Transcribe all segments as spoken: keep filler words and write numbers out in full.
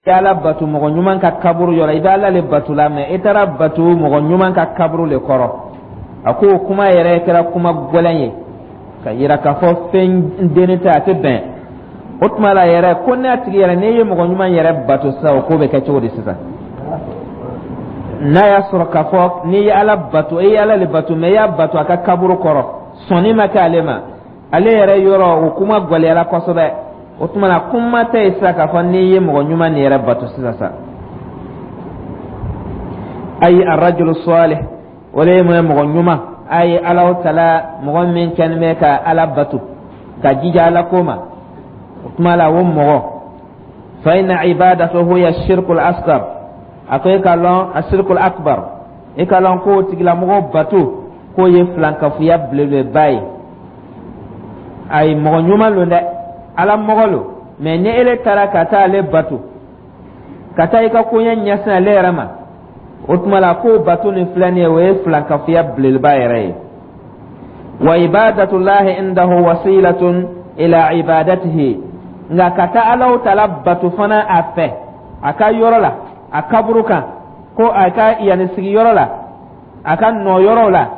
Ala batu mɔgɔ ɲuman ka kaburu yɔrɔ, i bɛ Ala le batu la, mɛ i taara batu mɔgɔ ɲuman ka kaburu le kɔrɔ. A ko kuma yɛrɛ kɛra kuma gɛlɛn ye ka yira k'a fɔ fɛn denni tɛ, a tɛ bɛn. O tuma la yɛrɛ, ko ne tigi yɛrɛ, n'e ye mɔgɔ ɲuman yɛrɛ bato sisan, o ko bɛ kɛ cogo di sisan? N'a y'a sɔrɔ k'a fɔ n'i ye Ala bato, e ye Ala le bato, mɛ i y'a bato a ka kaburu kɔrɔ, sɔnni ma kɛ ale ma, ale yɛrɛ yɔrɔ, o kuma gɛlɛyara kosɛbɛ. O tuma na, kuma tɛ yen sisan k'a fɔ n'i ye mɔgɔ ɲuman nin yɛrɛ bato sisan sa. Ayi, arrajulu salih, o de ye mun ye? Mɔgɔ ɲuman. A ye Alahu Tala mɔgɔ min kɛlen bɛ ka Ala bato, ka jija Ala ko ma, o tuma la, o mɔgɔ, fa inna ibadatuhu hiya shirkul asghar. A ko e ka lɔn, a shirkul akbar, e ka lɔn k'o tigilamɔgɔ bato k'o ye filankafoya belebeleba ye. Ayi, mɔgɔ ɲuman lo dɛ, Ala mɔgɔ lo, mɛ ni ele taara ka taa ale bato, ka taa i ka koɲɛ ɲɛsin ale yɛrɛ ma, o tuma la, k'o bato nin filɛ nin ye, o ye filankafoya belebeleba yɛrɛ ye. Wa ibadatullahi indahu wasilatun ila ibadatihi. Nka ka taa Alahu Taala bato fana a fɛ, a ka yɔrɔ la, a kaburu kan, ko a ka yanni sigiyɔrɔ la, a ka nɔ yɔrɔw la,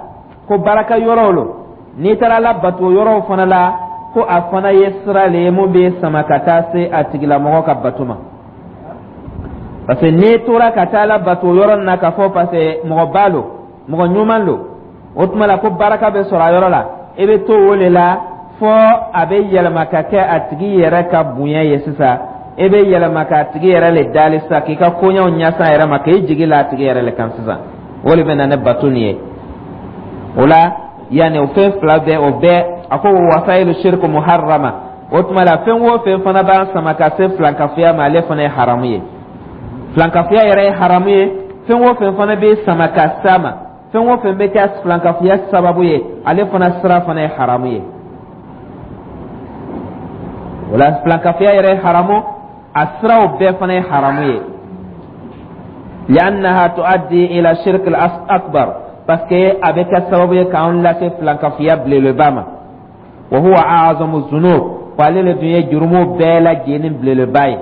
ko baraka yɔrɔw lo, n'i taara Ala bato yɔrɔw fana la, ko a fana ye sira le ye mun bɛ sama ka taa se a tigilamɔgɔ ka bato ma. Parce que n'i tora ka taa Ala bato yɔrɔ nin na, k'a fɔ parce que mɔgɔba lo, mɔgɔ ɲuman lo, o tuma la, ko baraka bɛ sɔrɔ a yɔrɔ la, i bɛ to o de la fɔ a bɛ yɛlɛma ka kɛ a tigi yɛrɛ ka bonya ye sisan. E bɛ yɛlɛma k'a tigi yɛrɛ le dali sisan, k'i ka koɲɛw ɲɛsin a yɛrɛ ma, k'i jigi la a tigi yɛrɛ le kan sisan. O de bɛ na ni bato nin ye. O la, yanni o fɛn fila bɛɛ, o bɛɛ, a ko wasailu shirku muharrama. O tuma la, fɛn o fɛn fana b'an sama ka se filankafoya ma, ale fana ye haramu ye. Filankafoya yɛrɛ ye haramu ye. Fɛn o fɛn fana bɛ sama ka s'a ma, fɛn o fɛn bɛ kɛ filankafoya sababu ye, ale fana sira fana ye haramu ye. O la, filankafoya yɛrɛ ye haramu, a siraw bɛɛ fana ye haramu ye. Li'annaha tuaddi ila shirk al-akbar, parce que a bɛ kɛ sababu ye k'an lase filankafoya belebeleba ma. Wa huwa a'zamu zunub, ko ale le dun ye jurumu bɛɛ lajɛlen belebeleba ye.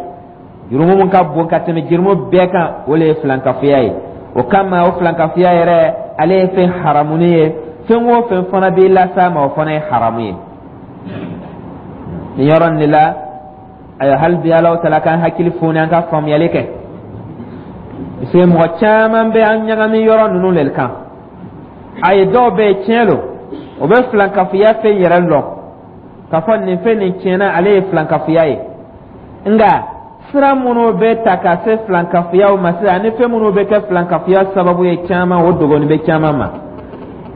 Jurumu mun ka bon ka tɛmɛ jurumu bɛɛ kan, o le ye filankafoya ye. O kama, o filankafoya yɛrɛ, ale ye fɛn haramuni ye. Fɛn o fɛn fana b'i las'a ma, o fana ye haramu ye. Nin yɔrɔ nin de la, ayiwa, hali bi Alahu Taala k'an hakili foni, an ka faamuyali kɛ, parce que mɔgɔ caman bɛ an ɲagami yɔrɔ ninnu le kan. Ayi, dɔw bɛ yen, tiɲɛ lo, o bɛ filankafoya fɛn yɛrɛ lɔn k'a fɔ nin fɛn nin tiɲɛna, ale ye filankafoya ye. Nka sira minnu bɛ ta ka se filankafoyaw ma sisan, ani fɛn minnu bɛ kɛ filankafoya sababu ye caman, o dogoni bɛ caman ma.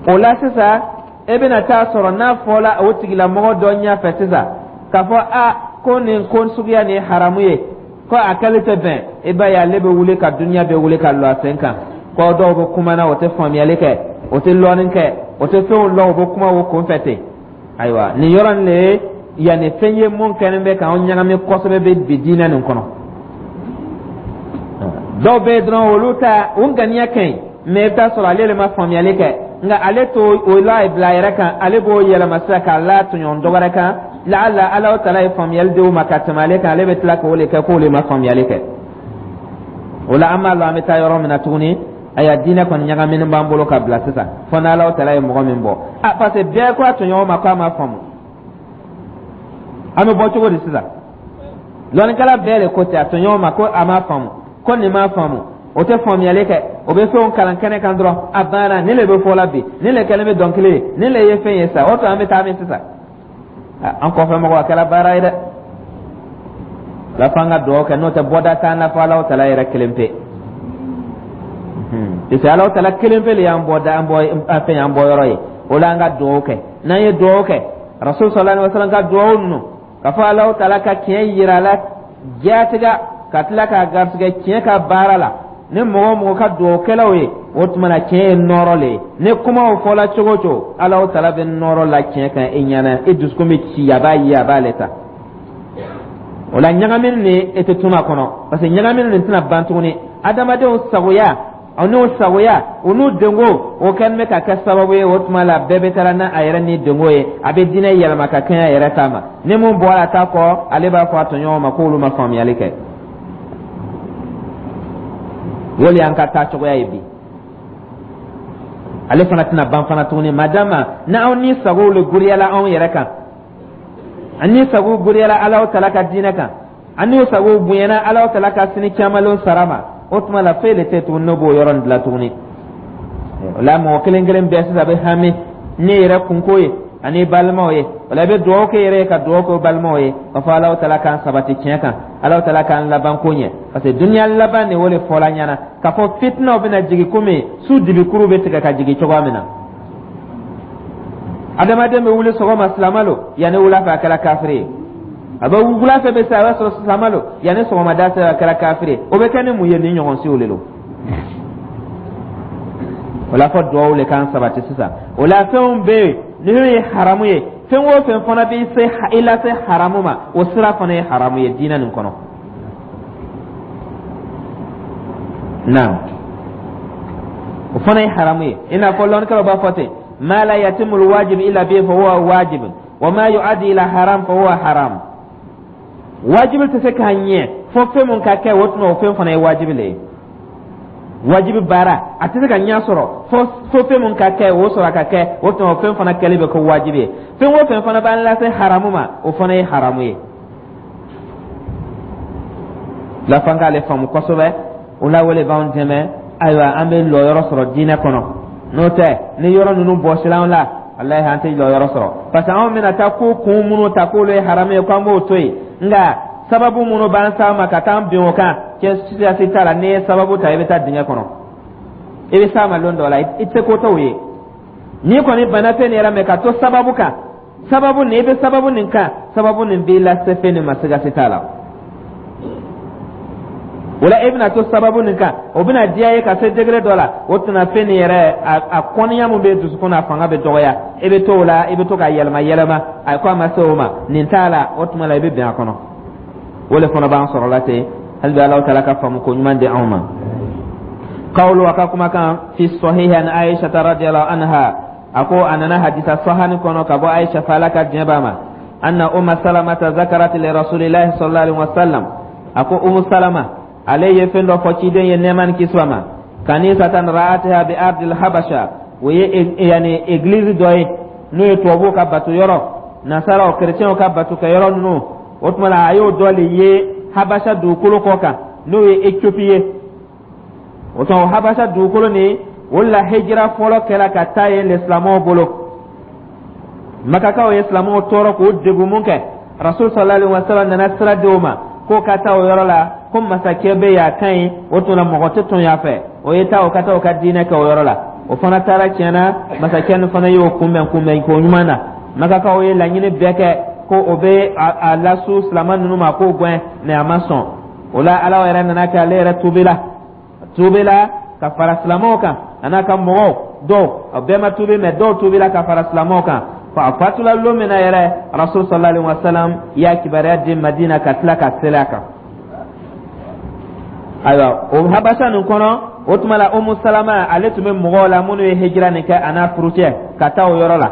O la sisan, e bɛna taa sɔrɔ n'a fɔla o tigilamɔgɔ dɔ ɲɛfɛ sisan k'a fɔ a ko nin ko suguya nin ye haramu ye, ko a kɛli tɛ bɛn, i b'a ye ale bɛ wuli ka duniya bɛ wuli ka lɔ a sen kan, ko dɔw bɛ kuma na, o tɛ faamuyali kɛ, o tɛ lɔnni kɛ, o tɛ fɛnw lɔn, o bɛ kuma o kun fɛ ten. Ayiwa, nin yɔrɔ nin de ye yanni fɛn ye mun kɛlen bɛ k'anw ɲagami kosɛbɛ bɛ bi diinɛ nin kɔnɔ. Dɔw bɛ yen dɔrɔn, olu ta o ŋaniya ka ɲi, mɛ i bɛ taa sɔrɔ ale de ma faamuyali kɛ. Nka ale t'o o la bila a yɛrɛ kan, ale b'o yɛlɛma sisan k'a la tɔɲɔgɔn dɔ wɛrɛ kan. Laala Ala Taala ye faamuyali di o ma ka tɛmɛ ale kan, ale bɛ tila k'o de kɛ k'o de ma faamuyali kɛ. O la, an b'a lɔn an bɛ taa yɔrɔ min na tuguni. Ayiwa, diinɛ kɔni ɲagaminen b'an bolo ka bila sisan, fo n'Ala Taala ye mɔgɔ min bɔ a, parce que bɛɛ ko a tɔɲɔgɔn ma k'a ma faamu. An bɛ bɔ cogo di sisan? Lɔnnikɛla bɛɛ de ko ten a tɔɲɔgɔn ma ko a ma faamu, ko nin ma faamu, o tɛ faamuyali kɛ, o bɛ fɛnw kalan kɛnɛ kan dɔrɔn, a banna. Nin le bɛ fɔ la bi, nin le kɛlen bɛ dɔnkili ye, nin le ye fɛn ye sisan. O tɔ, an bɛ taa min sisan? An kɔfɛ mɔgɔ, a kɛra baara ye dɛ. La f'an ka dugawu kɛ, n'o tɛ bɔda t'an na fɔ Alahu Taala yɛrɛ kelen pe, parce que Alahu Taala kelen pe de y'an bɔ da, an bɔ fɛn, y'an bɔ yɔrɔ ye. O la, an ka dugawu kɛ. N'an ye dugawu kɛ, Rasul sallallahu alaihi wasallam ka dugawu ninnu, ka fɔ Alahu Taala ka tiɲɛ yira a la jaatiga, ka tila k'a garisɛgɛ tiɲɛ ka baara la, ni mɔgɔ o mɔgɔ ka dugawukɛlaw ye, o tuma na, tiɲɛ ye nɔrɔ le ye. Ni kumaw fɔla cogo o cogo, Alahu Taala bɛ nɔrɔ la tiɲɛ kan e ɲɛna, e dusukun bɛ ci, a b'a ye, a b'ale ta. O la, ɲagamini nin e tɛ tunu a kɔnɔ, parce que ɲagamini nin tɛna ban tuguni. Adamadenw sagoya, o n'u sagoya, o n'u denko, o kɛlen bɛ ka kɛ sababu ye. O tuma la, bɛɛ bɛ taara n'a a yɛrɛ ni denko ye, a bɛ diinɛ yɛlɛma ka kɛɲɛ a yɛrɛ ta ma. Ni mun bɔra a ta kɔ, ale b'a fɔ a tɔɲɔgɔnw ma k'olu ma faamuyali kɛ. O le y'an ka taa cogoya ye bi. Ale fana tɛna ban fana tuguni, madama n'anw ni sagow le goriyala anw yɛrɛ kan, an ni sagow goriyala Alahu Taala ka diinɛ kan, an n'o sagow bonyana Alahu Taala ka sini camanlenw sara ma, o tuma la foyi de tɛ tuguni n'o b'o yɔrɔ nin dilan tuguni. O la, mɔgɔ kelen kelen bɛɛ sisan bɛ hami ne yɛrɛ kunko ye ani balimaw ye. O la, i bɛ dugawu kɛ yɛrɛ ye, ka dugawu kɛ balimaw ye, ka fɔ Alahu Taala k'an sabati tiɲɛ kan, Alahu Taala k'an laban ko ɲɛ, parce que duniya laban de, o de fɔla ɲɛna k'a fɔ fitinaw bɛna jigin komi su dibikuru bɛ tigɛ ka jigin cogoya min na. Adamaden bɛ wuli sɔgɔma, silama lo, yanni wula fɛ a kɛra kafiri ye. A bɛ wula fɛ bɛ se, a b'a sɔrɔ silama lo, yanni sɔgɔmada sera, a kɛra kafiri ye. O bɛ kɛ ni mun ye? Ni ɲɔgɔn siw de don. O la, fɔ duwawu le k'an sabati sisan. O la, fɛnw bɛ yen n'o ye haramu ye, fɛn o fɛn fana bɛ se i lase haramu ma, o sira fana ye haramu ye diinɛ nin kɔnɔ. Naam, o fana ye haramu ye. I n'a fɔ lɔnnikɛlaw b'a fɔ ten: ma la yatimu alwajib illa bihi fa huwa wajib, wa ma yu'addi ila haram fa huwa haram. Wajibi tɛ se k'a ɲɛ fo fɛn mun ka kɛ, o tuma o fɛn fana ye wajibi le ye. Wajibi baara a tɛ se ka ɲɛ sɔrɔ fo fo fɛn mun ka kɛ, o sɔrɔ a ka kɛ, o tuma o fɛn fana kɛli bɛ kɛ wajibi ye. Fɛn o fɛn fana b'an lase haramu ma, o fana ye haramu ye. La f'an k'ale faamu kosɛbɛ. O la, o le b'anw dɛmɛ. Ayiwa, an bɛ lɔyɔrɔ sɔrɔ diinɛ kɔnɔ. N'o tɛ, ni yɔrɔ ninnu bɔsila an la, walahi, an tɛ lɔyɔrɔ sɔrɔ, parce que anw bɛna taa ko kun minnu ta k'olu ye haramu ye, k'an b'o to yen, nka sababu minnu b'an s'a ma ka taa bin o kan, cɛ siyasi t'a la. N'i ye sababu ta, i bɛ taa dingɛ kɔnɔ, i bɛ s'a ma lon dɔ la, i tɛ se ko t'o ye. N'i kɔni banna fɛn nin yɛrɛ mɛ ka to sababu kan, sababu nin, i bɛ sababu nin kan, sababu nin b'i lase fɛn nin ma, sigasi t'a la. O la, e bɛna to sababu nin kan, o bɛna diya ye ka se degré dɔ la, o tɛna fɛn nin yɛrɛ a kɔniya mun bɛ dusukun na, a fanga bɛ dɔgɔya. I bɛ to o la, i bɛ to ka yɛlɛma yɛlɛma, a ko a ma se o ma, nin t'a la, o tuma la i bɛ bɛn a kɔnɔ. O le fana b'an sɔrɔ la ten. Hali bi, Alahu Taala ka faamu ko ɲuman di anw ma. Qawlu, a ka kumakan, fi sahihi an Aisha radiyallahu anha, a ko a nana hadisa sahani kɔnɔ ka bɔ Aisha fa, Ala ka diɲɛ b'a ma, anna Umma Salamata zakarat li rasulillahi sallallahu alaihi wasallam, a ko Umu Salama ale ye fɛn dɔ fɔ ciden ye, nɛɛma ni kisi ma, kanisatan ra'atiha bi ardil Habasha, o ye yani église dɔ ye n'o ye tubabuw ka bato yɔrɔ, nasaraw, kerecɛnw ka bato kɛ yɔrɔ ninnu. O tuma la, a y'o dɔ le ye Habasha dugukolo kɔ kan, n'o ye Ethiopie ye. O tuma, Habasha dugukolo nin, o la hijira fɔlɔ kɛra ka taa yen le silamɛw bolo. Makakaw ye silamɛw tɔɔrɔ k'o degun mun kɛ, Rasul sallallahu alaihi wasallam nana sira di o ma k'o ka taa o yɔrɔ la, ko masakɛ bɛ yen, a ka ɲi. O tuma la, mɔgɔ tɛ tɔn a fɛ, o ye taa o ka taa o ka diinɛ kɛ o yɔrɔ la. O fana taara tiɲɛna, masakɛ nin fana y'o kunbɛn kunbɛn ko ɲuman na. Makakaw ye laɲini bɛɛ kɛ ko o bɛ a lasu silamɛ ninnu ma k'o gɛn, mɛ a ma sɔn. O la, Ala yɛrɛ nana kɛ, ale yɛrɛ tubila tubila ka fara silamɛw kan, a n'a ka mɔgɔw dɔw. A bɛɛ ma tubi, mɛ dɔw tubila ka fara silamɛw kan. A fatula lon min na yɛrɛ, Rasul sallallahu alaihi wa sallam y'a kibaruya di Madina ka tila ka seli a kan. Ayiwa, o Habasa nin kɔnɔ, o tuma la, Umu Salama ale tun bɛ mɔgɔw la minnu ye hijira nin kɛ, a n'a furucɛ ka taa o yɔrɔ la,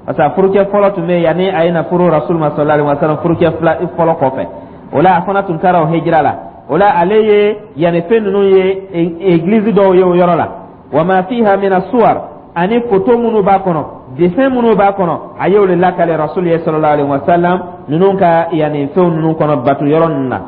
parce que a furucɛ fɔlɔ tun bɛ yen yanni a ye na furu Rasul ma sallallahu alaihi wa sallam. Furucɛ fila fɔlɔ kɔfɛ, o la a fana tun taara o hijira la. O la, ale ye yanni fɛn ninnu ye, église dɔw ye o yɔrɔ la, wa ma fiha mina suwar, ani photo minnu b'a kɔnɔ, dessin minnu b'a kɔnɔ, a y'o de lakale Rasul ye sallallahu alaihi wa sallam, ninnu ka yanni fɛnw ninnu kɔnɔ, bato yɔrɔ ninnu na.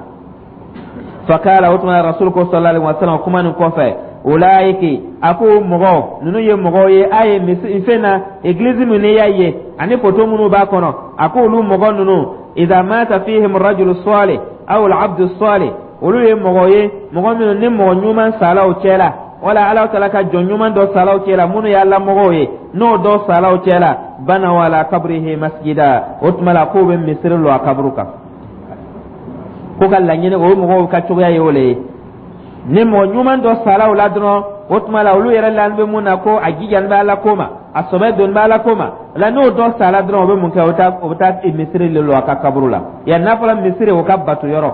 Fakala, o tuma Rasul ko sallallahu alaihi wa sallam kuma nin kɔfɛ, ulaiki, a ko mɔgɔw ninnu ye mɔgɔw ye, a ye misi fɛn na église min n'i y'a ye ani photo minnu b'a kɔnɔ, a ko olu mɔgɔ ninnu, idha mata fihim rajulu salih aw al-abdu salih, olu ye mɔgɔ ye, mɔgɔ minnu ni mɔgɔ ɲuman sala o cɛ la, wala Ala taala ka jɔn ɲuman dɔ sala o cɛ la, minnu y'a lamɔgɔw ye, n'o dɔ sala o cɛ la, banaw ala kabrihi masjida, o tuma la k'o bɛ misiri lɔ a kaburu kan. Ko ka laɲini, o mɔgɔw ka cogoya ye o le ye. Ni mɔgɔ ɲuman dɔ sala o la dɔrɔn, o tuma la olu yɛrɛ lani bɛ mun na, ko a jijani bɛ Ala ko ma, a sɔbɛ doni bɛ Ala ko ma la, n'o dɔ sala dɔrɔn, o bɛ mun kɛ? O bɛ o bɛ taa misiri le lɔ a ka kaburu la. Yan n'a fɔra misiri, o ka bato yɔrɔ,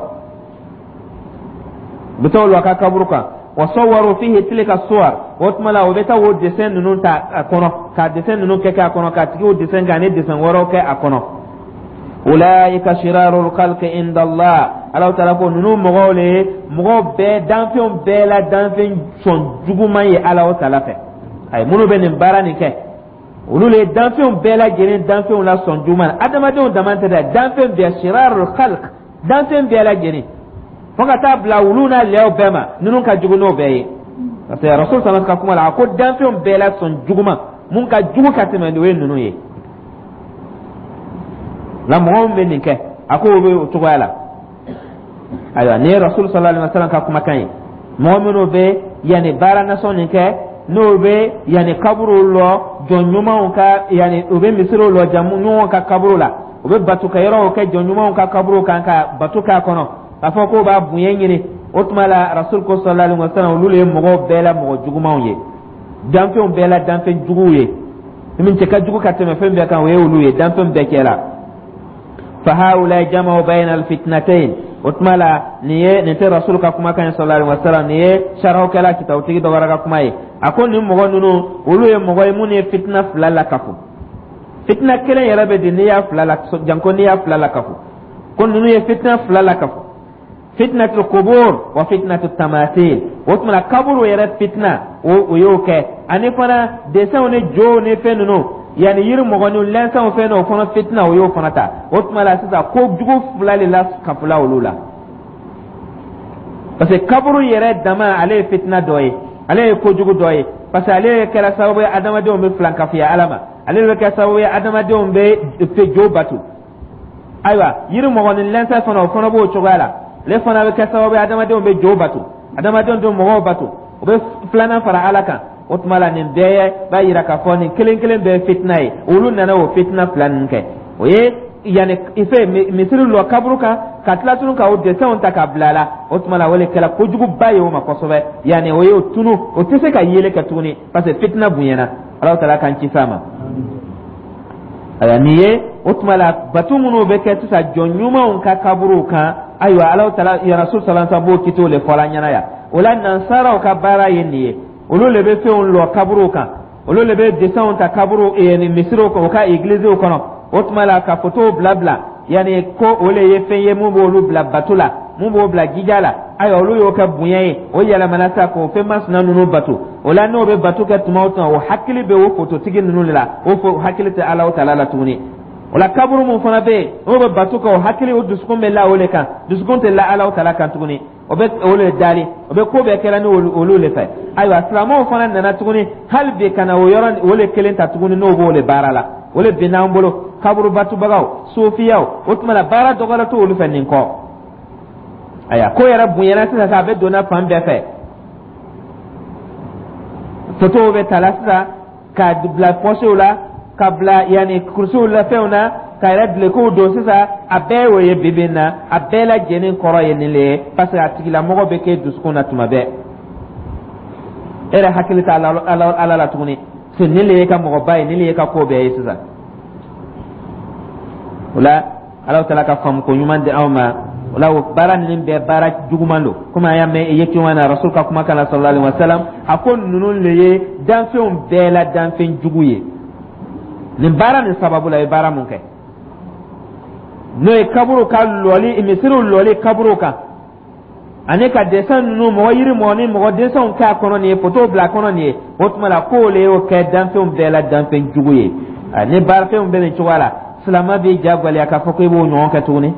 u bɛ taa o lɔ a ka kaburu kan. Wa sawwaru fihi tilka suwar, o tuma la o bɛ taa o dessin ninnu ta a kɔnɔ, ka dessin ninnu kɛ kɛ a kɔnɔ, ka tigiw dessin kɛ ani dessin wɛrɛw kɛ a kɔnɔ. Ulaika shirarul khalqi inda Allah. Ala taala ko ninnu mɔgɔw le ye mɔgɔw bɛɛ, danfɛnw bɛɛ la danfɛn sɔn juguman ye Ala taala fɛ. Ayi, minnu bɛ nin baara nin kɛ, olu le ye danfɛnw bɛɛ lajɛlen danfɛnw la sɔn juguman. Adamadenw dama tɛ dɛ, danfɛn bɛɛ, shirarul khalq, danfɛn bɛɛ lajɛlen, fo ka taa bila wulu n'a lɛw bɛɛ ma, ninnu ka jugu n'o bɛɛ ye, parce que Rasul sallallahu ka kuma la, a ko danfɛnw bɛɛ la sɔn juguman mun ka jugu ka tɛmɛ, o ye ninnu ye. Nka mɔgɔ min bɛ nin kɛ, a ko o bɛ o cogoya la. Ayiwa, nin ye Rasul sallallahu alaihi wasallam ka kumakan ye. Mɔgɔ minnu bɛ yanni baara nasɔn nin kɛ, n'o bɛ yanni kaburu lɔ jɔn ɲumanw ka, yanni u bɛ misiriw lɔ jɔn ɲumanw ka kaburu la, u bɛ bato kɛ yɔrɔw kɛ jɔn ɲumanw ka kaburu kan ka bato k'a kɔnɔ, k'a fɔ k'o b'a bonya ɲini, o tuma la Rasul ko sallallahu alaihi wasallam, olu le ye mɔgɔw bɛɛ la mɔgɔ jugumanw ye, danfɛnw bɛɛ la danfɛn juguw ye. Min cɛ ka jugu ka tɛmɛ fɛn bɛɛ kan, o ye olu ye danfɛn bɛɛ cɛ la. Fa haula jama'u bayna alfitnatayn. O tuma la, nin ye, nin tɛ Rasul ka kumakan ye sallallahu alaihi wasallam, nin ye sarahukɛla kitabutigi dɔ wɛrɛ ka kuma ye. A ko nin mɔgɔ ninnu, olu ye mɔgɔ ye minnu ye fitina fila la kafo. Fitina kelen yɛrɛ bɛ di n'i y'a fila la, janko n'i y'a fila la kafo. Ko ninnu ye fitina fila la kafo, fitnatul qubur wa fitnatul tamathil. O tuma la, kaburu yɛrɛ fitina, o o y'o kɛ, ani fana dessinw ni jow ni fɛn ninnu, yanni yiri mɔgɔninw lɛnsɛnw fɛn dɔw fana fitina, o y'o fana ta. O tuma la sisan, ko jugu fila de la kafola olu la, parce que kaburu yɛrɛ dama, ale ye fitina dɔ ye, ale ye kojugu dɔ ye, parce que ale kɛra sababu ye adamadenw bɛ filankafoya Ala ma, ale bɛ kɛ sababu ye adamadenw bɛ jo batu. Ayiwa, yiri mɔgɔnin lɛnsɛn fana, o fana b'o cogoya la, ale fana bɛ kɛ sababu ye adamadenw bɛ jo batu, adamadenw bɛ mɔgɔw batu, o bɛ filanan fara Ala kan. O tuma la, nin bɛɛ b'a yira k'a fɔ nin kelen kelen bɛɛ ye fitina ye. Olu nana o fitina fila ninnu kɛ, o ye yanni fɛ misiri lɔ kaburu kan, ka tila tunu ka o dessinw ta ka bila a la. O tuma la, o de kɛra kojuguba ye o ma kosɛbɛ, yanni o y'o tunu, o tɛ se ka yeli kɛ tuguni, parce que fitina bonyana. Ala taala k'an ci s'a ma. Ayiwa, nin ye o tuma la batu minnu bɛ kɛ sisan jɔn ɲumanw ka kaburuw kan. Ayiwa, Ala taala Rasul sallallahu alaihi wasallam b'o kitiw de fɔla ɲɛna yan. O la, nansaraw ka baara ye nin ye. Olu le bɛ fɛnw lɔ kaburuw kan, olu le bɛ dessinw ta kaburu ni misiriw kan, u ka egiliziw kɔnɔ. O tuma la, ka fotow bila bila, yanni ko o le ye fɛn ye mun b'olu bila bato la, mun b'o bila jija la. Ayiwa, olu y'o kɛ bonya ye, o yɛlɛmana sa k'o fɛn masina ninnu bato. O la, n'o bɛ bato kɛ tuma o tuma, o hakili bɛ o fototigi ninnu de la, o fo hakili tɛ Ala taala la tuguni. O la, kaburu mun fana bɛ yen, n'o bɛ bato kɛ, o hakili, o dusukun bɛ la o le kan, dusukun tɛ la Ala taala kan tuguni. O bɛ o le dali, o bɛ ko bɛɛ kɛra ni olu le fɛ. Ayiwa, silamɛw fana nana tuguni hali bi ka na o yɔrɔ o le kelen ta tuguni, n'o b'o le baara la, o le binna an bolo, kaburu batubagaw, sofiyaw. O tuma la, baara dɔgɔyara t'olu fɛ nin kɔ. Ayiwa, ko yɛrɛ bonyana sisan, a bɛ donna fan bɛɛ fɛ, fotow bɛ ta la sisan ka bila pɔsiw la, ka bila yanni kurusiw la, fɛnw na, ka yɛrɛ dulokiw don sisan, a bɛɛ y'o ye. Bi bi in na, a bɛɛ lajɛlen kɔrɔ ye nin le ye, parce que a tigilamɔgɔ bɛ kɛ dusukun na tuma bɛɛ, e yɛrɛ hakili t'a Ala Ala la tuguni, parce que nin le ye ka mɔgɔba ye, nin le ye ka ko bɛɛ ye sisan. O la, Ala taala ka faamu ko ɲuman di anw ma. O la, o baara ninnu bɛɛ baara juguman don, komi an y'a mɛn ye cogo min na Rasul ka kumakan na sallallahu alaihi wa sallam, a ko ninnu le ye danfɛnw bɛɛ la danfɛn jugu ye. Nin baara nin sababu la, i ye baara mun kɛ, n'o ye kaburu ka lɔli, misiriw lɔli kaburu kan, ani ka dessin ninnu, mɔgɔ yiri mɔgɔ ni mɔgɔ dessinw kɛ a kɔnɔ nin ye, fotow bila a kɔnɔ nin ye, o tuma la k'o le y'o kɛ danfɛnw bɛɛ la danfɛn jugu ye. Ni baarafɛnw bɛ nin cogoya la, silamɛ b'i ja gwɛlɛya k'a fɔ ko i b'o ɲɔgɔn kɛ tuguni.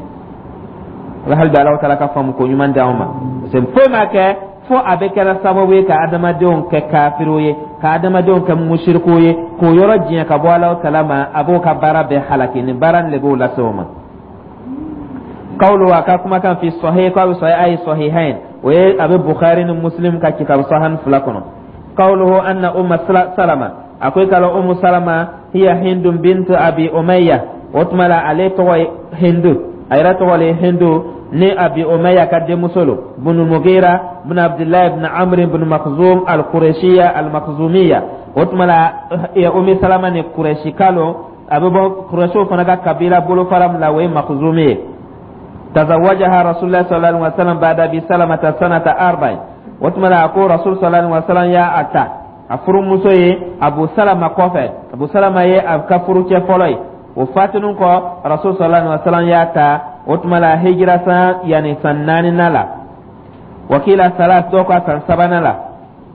O la, hali bi Ala taala ka faamu ko ɲuman di anw ma, parce que foyi ma kɛ fo a bɛ kɛra sababu ye ka adamadenw kɛ kafiriw ye, ka adamadenw kɛ musirikuw ye, k'o yɔrɔ diɲɛ ka bɔ Ala taala ma. A b'o ka baara bɛɛ halaki, nin baara nin de b'o lase o ma. Qawlu, a ka kumakan, fi sahih, ko a bɛ sahih ay sahihain, o ye a bɛ Bukhari ni Muslim ka kitabu sahan fila kɔnɔ. Qawluhu anna Umma Salama, a ko i ka lɔn Ummu Salama, hiya Hindu bintu Abi Umayya. O tuma la, ale tɔgɔ ye Hindu, a yɛrɛ tɔgɔ le ye Hindu ni Abi Umayya ka denmuso lo, bunu Mugira bin Abdullahi bin Amr bin Makhzum al-Qurayshiyya al-Makhzumiyya. O tuma la, Ummi Salama ni Qurayshika lo, a bɛ bɔ Qurayshw fana ka kabila bolofara min la, o ye Makhzumi ye. Tazawajaha Rasulullah sallallahu alaihi wasallam ba'da Abi Salamata sanata arba'in. O tuma la, a ko Rasul sallallahu alaihi wasallam y'a a ta a furumuso ye Abu Salama kɔfɛ. Abu Salama ye a ka furucɛ fɔlɔ ye. O fatinin kɔ, Rasul sallallahu alaihi wasallam y'a ta. O tuma la, hijira san, yani san naaninan la. Wa qila salas, dɔw ka san sabanan la.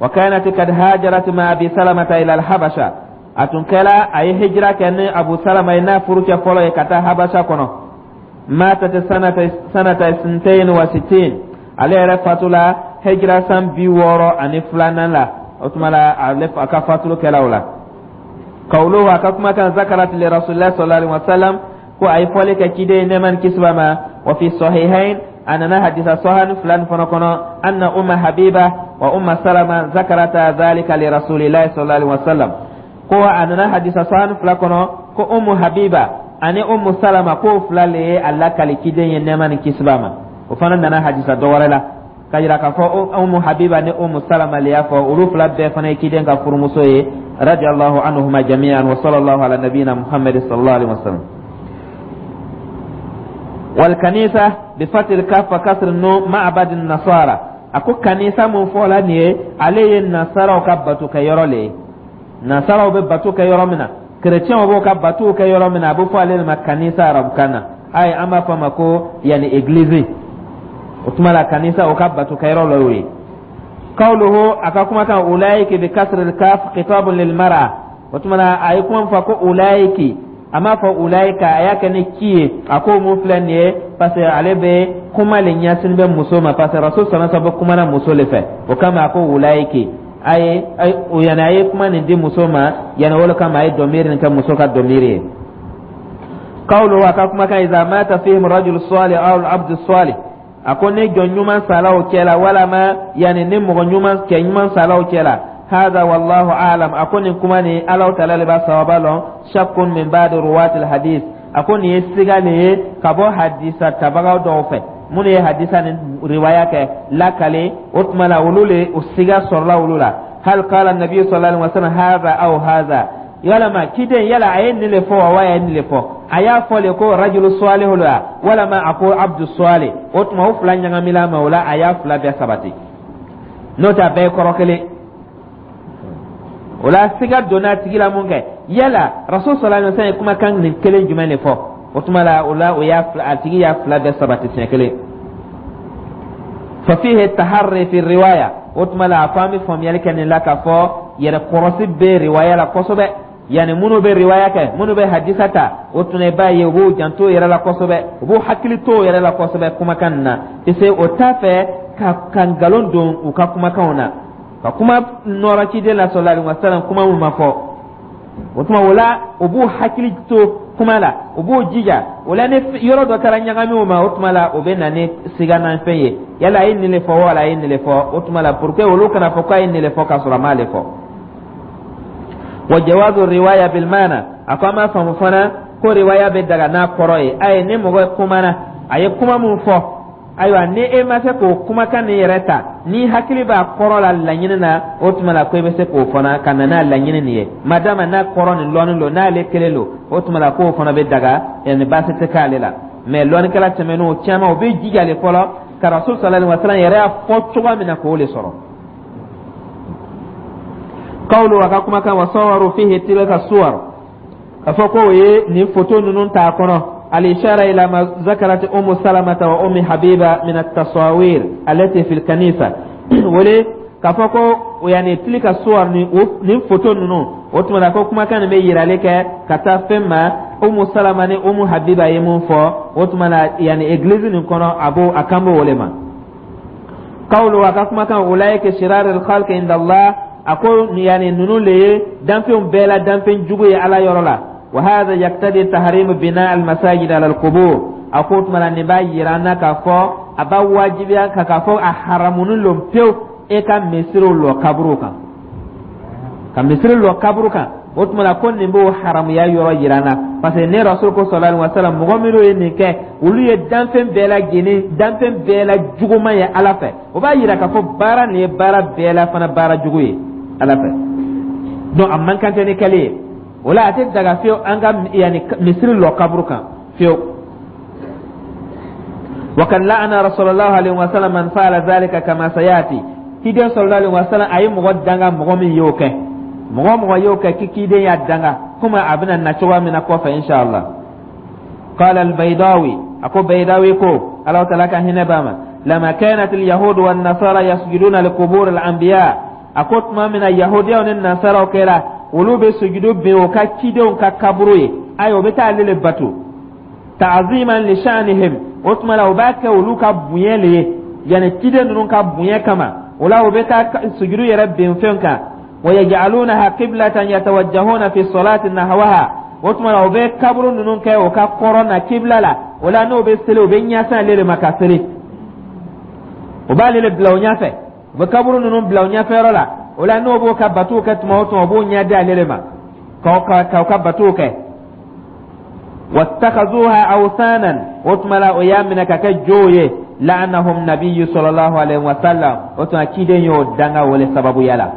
Wa kanat kad hajarat ma Abi Salamata ila al-Habasha. A tun kɛla a ye hijira kɛ ni Abu Salama ye, n'a furucɛ fɔlɔ ye, ka taa Habasha kɔnɔ. Matat sanata sanata sintain wa sittin. Ale yɛrɛ fatula hijira san bi wɔɔrɔ ani filanan la. O tuma la, ale a ka fatulu kɛla o la. Kawuluhu, a ka kumakan, zakarat li Rasulillah sallallahu alaihi wasallam, ko a ye fɔli kɛ ciden ye, nɛɛma ni kisi b'a ma. Wa fi sahihain, a nana hadisa sahani fila nin fana kɔnɔ, anna Umma Habiba wa Umma Salama zakarata dhalika li Rasulillahi sallallahu alaihi wasallam. Ko a nana hadisa sahani fila kɔnɔ ko Ummu Habiba ani Ummu Salama, k'o fila le ye a lakali ciden ye, nɛɛma ni kisi b'a ma. O fana nana hadisa dɔ wɛrɛ la ka yira k'a fɔ Ummu Habiba ni Ummu Salama le y'a fɔ. Olu fila bɛɛ fana ye ciden ka furumuso ye, radiyallahu anhuma jami'an. Wa sallallahu ala nabiyina Muhammad sallallahu alaihi wasallam. Wal kanisa bi fatil kaf wa kasr nun, ma'bad nasara. A ko kanisa mun fɔla nin ye, ale ye nasaraw ka bato kɛ yɔrɔ le ye. Nasaraw bɛ bato kɛ yɔrɔ min na, kerecɛnw b'o ka batow kɛ yɔrɔ min na, a bɛ fɔ ale de ma kanisa arabukan na. Ayi, an b'a fɔ a ma ko yani église. O tuma la, kanisa, o ka bato kɛ yɔrɔ la y'o ye. Qawluhu, a ka kumakan, ulaiki bi kasri kaf, khitabun lil mar'a. O tuma la, a ye kuma fɔ ko ulaiki, a m'a fɔ ulaika, a y'a kɛ ni ki ye. A ko mun filɛ nin ye, parce que ale bɛ kuma le ɲɛsin bɛ muso ma, parce que Rasul sallallahu alaihi wasallam bɛ kuma na muso le fɛ. O kama a ko ulaiki. A ye o, yani a ye kuma nin di muso ma, yani o le kama a ye dɔmiri nin kɛ muso ka dɔmiri ye. Qawluhu, a ka kumakan, iza mata fihim rajul salih aw al-abd salih. A ko ni jɔn ɲuman sala o cɛ la, walama yani ni mɔgɔ ɲuman, cɛ ɲuman sala o cɛ la. Hada wallahu a'lam. A ko nin kuma nin, Alaw taala le b'a sawaba lɔn. Shakkun min ba'di ruwati al-hadith. A ko nin ye siga le ye ka bɔ hadisa tabagaw dɔw fɛ, minnu ye hadisa ni riwaya kɛ lakale. O tuma la, olu le o siga sɔrɔla olu la. Hal qala nabi sallallahu alaihi wasallam hadha aw hadha? Yalama ciden, yala a ye nin le fɔ wa, wa a ye nin le fɔ? A y'a fɔ le ko rajulu salihu la, walama a ko abdu salih? O tuma, o fila ɲagamila ma, o la a y'a fila bɛɛ sabati, n'o tɛ a bɛɛ ye kɔrɔ kelen. O la, siga donna a tigi la mun kɛ, yala Rasul sallallahu alaihi wasallam ye kumakan nin kelen jumɛn de fɔ? O tuma la, o la o y'a a tigi y'a fila bɛɛ sabati siɲɛ kelen. Fa fihi taharri fi riwaya. O tuma la, a ko an bɛ faamuyali kɛ nin la k'a fɔ yɛrɛ kɔrɔsi bɛ riwaya la kosɛbɛ. Yani minnu bɛ riwaya kɛ, minnu bɛ hadisa ta, o tuma i b'a ye u b'u janto yɛrɛ la kosɛbɛ, u b'u hakili to yɛrɛ la kosɛbɛ kumakan nin na, parce que o t'a fɛ ka ka nkalon don u ka kumakanw na, ka kuma nɔrɔ ciden la sallallahu alaihi wasallam, kuma mun ma fɔ. O tuma o la, u b'u hakili to kuma la, u b'u jija. O la, ni yɔrɔ dɔ taara ɲagami o ma, o tuma la o bɛ na ni siganafɛn ye: yala a ye nin le fɔ, wala a ye nin le fɔ? O tuma la, pour que olu kana fɔ k'a ye nin le fɔ k'a sɔrɔ a m'ale fɔ. Wa jawazu riwaya bil maana. A ko an b'a faamu fana ko riwaya bɛ daga n'a kɔrɔ ye. Ayi, ni mɔgɔ kumana, a ye kuma mun fɔ, ayiwa, ni e ma se k'o kumakan nin yɛrɛ ta, ni hakili b'a kɔrɔ la laɲini na, o tuma la ko i bɛ se k'o fana ka na n'a laɲini nin ye, madama n'a kɔrɔ nin lɔnni don, n'ale kelen don, o tuma la k'o fana bɛ daga, yani baasi tɛ k'ale la. Mɛ lɔnnikɛla tɛmɛnenw caman, o bɛ jija le fɔlɔ ka Rasul sallallahu alaihi wasallam yɛrɛ y'a fɔ cogoya min na, k'o le sɔrɔ. Qawlu, a ka kumakan, wa sawaru fihi tilka suwar, ka fɔ ko o ye nin foto ninnu t'a kɔnɔ. الإشارة إلى ما ذكرت أم سلمة وأم حبيبة من التصاوير التي في الكنيسة. Wele k'a fɔ ko yani tilka suwar ni nin foto ninnu, o tuma la ko kumakan nin bɛ yirali kɛ ka taa fɛn ma, Umu Salama ni Umu Habiba ye mun fɔ, o tuma la yani église nin kɔnɔ, a b'o a kan b'o o le ma. Qawlu, a ka kumakan, ulaika shirar al-khalqi inda Allah. A ko yani ninnu le ye danfɛnw bɛɛ la danfɛn jugu ye Ala yɔrɔ la. Wa hadha yaqtadi tahrim bina al-masajid ala al-qubur. A ko tuma la, nin b'a yira an na k'a fɔ a b'a wajibiya ka k'a fɔ a haramunin lon pewu e ka misiriw lɔ kaburu kan, ka misiri lɔ kaburu kan. O tuma la, ko nin b'o haramuya yɔrɔ yira an na, parce que ne Rasul ko sallallahu alaihi wasallam, mɔgɔ minnu ye nin kɛ, olu ye danfɛn bɛɛ lajɛlen, danfɛn bɛɛ la juguman ye Ala fɛ. O b'a yira k'a fɔ baara nin ye baara bɛɛ la fana baara jugu ye Ala fɛ. Donc a man kan tɛ ni kɛli ye. O la, a tɛ daga fiyewu an ka yanni misiri lɔ kaburu kan fiyewu. وقد لعن رسول الله عليه وسلم من فعل ذلك كما سياتي. Kiden sallallahu alaihi wasallam a ye mɔgɔ danga, mɔgɔ min y'o kɛ, mɔgɔ mɔgɔ y'o kɛ, k'i kiden y'a danga, komi a bɛna na cogoya min na kɔfɛ, inshallah. قال البيضاوي A ko Baydawi ko, Ala taala ka hinɛ b'a ma, لما كانت اليهود والنصارى يسجدون لقبور الأنبياء, a ko tuma min na yahudiyaw ni nasaraw kɛra olu bɛ sujudu bin o ka cidenw ka kaburu ye, ayi, o bɛ taa ale le bato, تعظيما لشأنهم, o tuma la o b'a kɛ olu ka bonya le ye, yani ciden ninnu ka bonya kama. O la o bɛ taa sujudu yɛrɛ bin fɛn kan. ويجعلونها قبلة يتوجهون في الصلاة نحوها, o tuma la o bɛ kaburu ninnu kɛ o ka kɔrɔn na kibla la. O la n'o bɛ seli, o bɛ ɲɛsin ale de ma ka seli. O b'ale le bila o ɲɛfɛ, u bɛ kaburu ninnu bila o ɲɛfɛyɔrɔ la. O la n'o b'o ka batow kɛ tuma o tuma, o b'o ɲɛ di ale de ma k'aw ka batow kɛ. واتخذوها أوثانا, o tuma la o y'a minɛ ka kɛ jow ye. لعنهم النبي صلى الله عليه وسلم, o tuma ciden y'o danga o le sababuya la.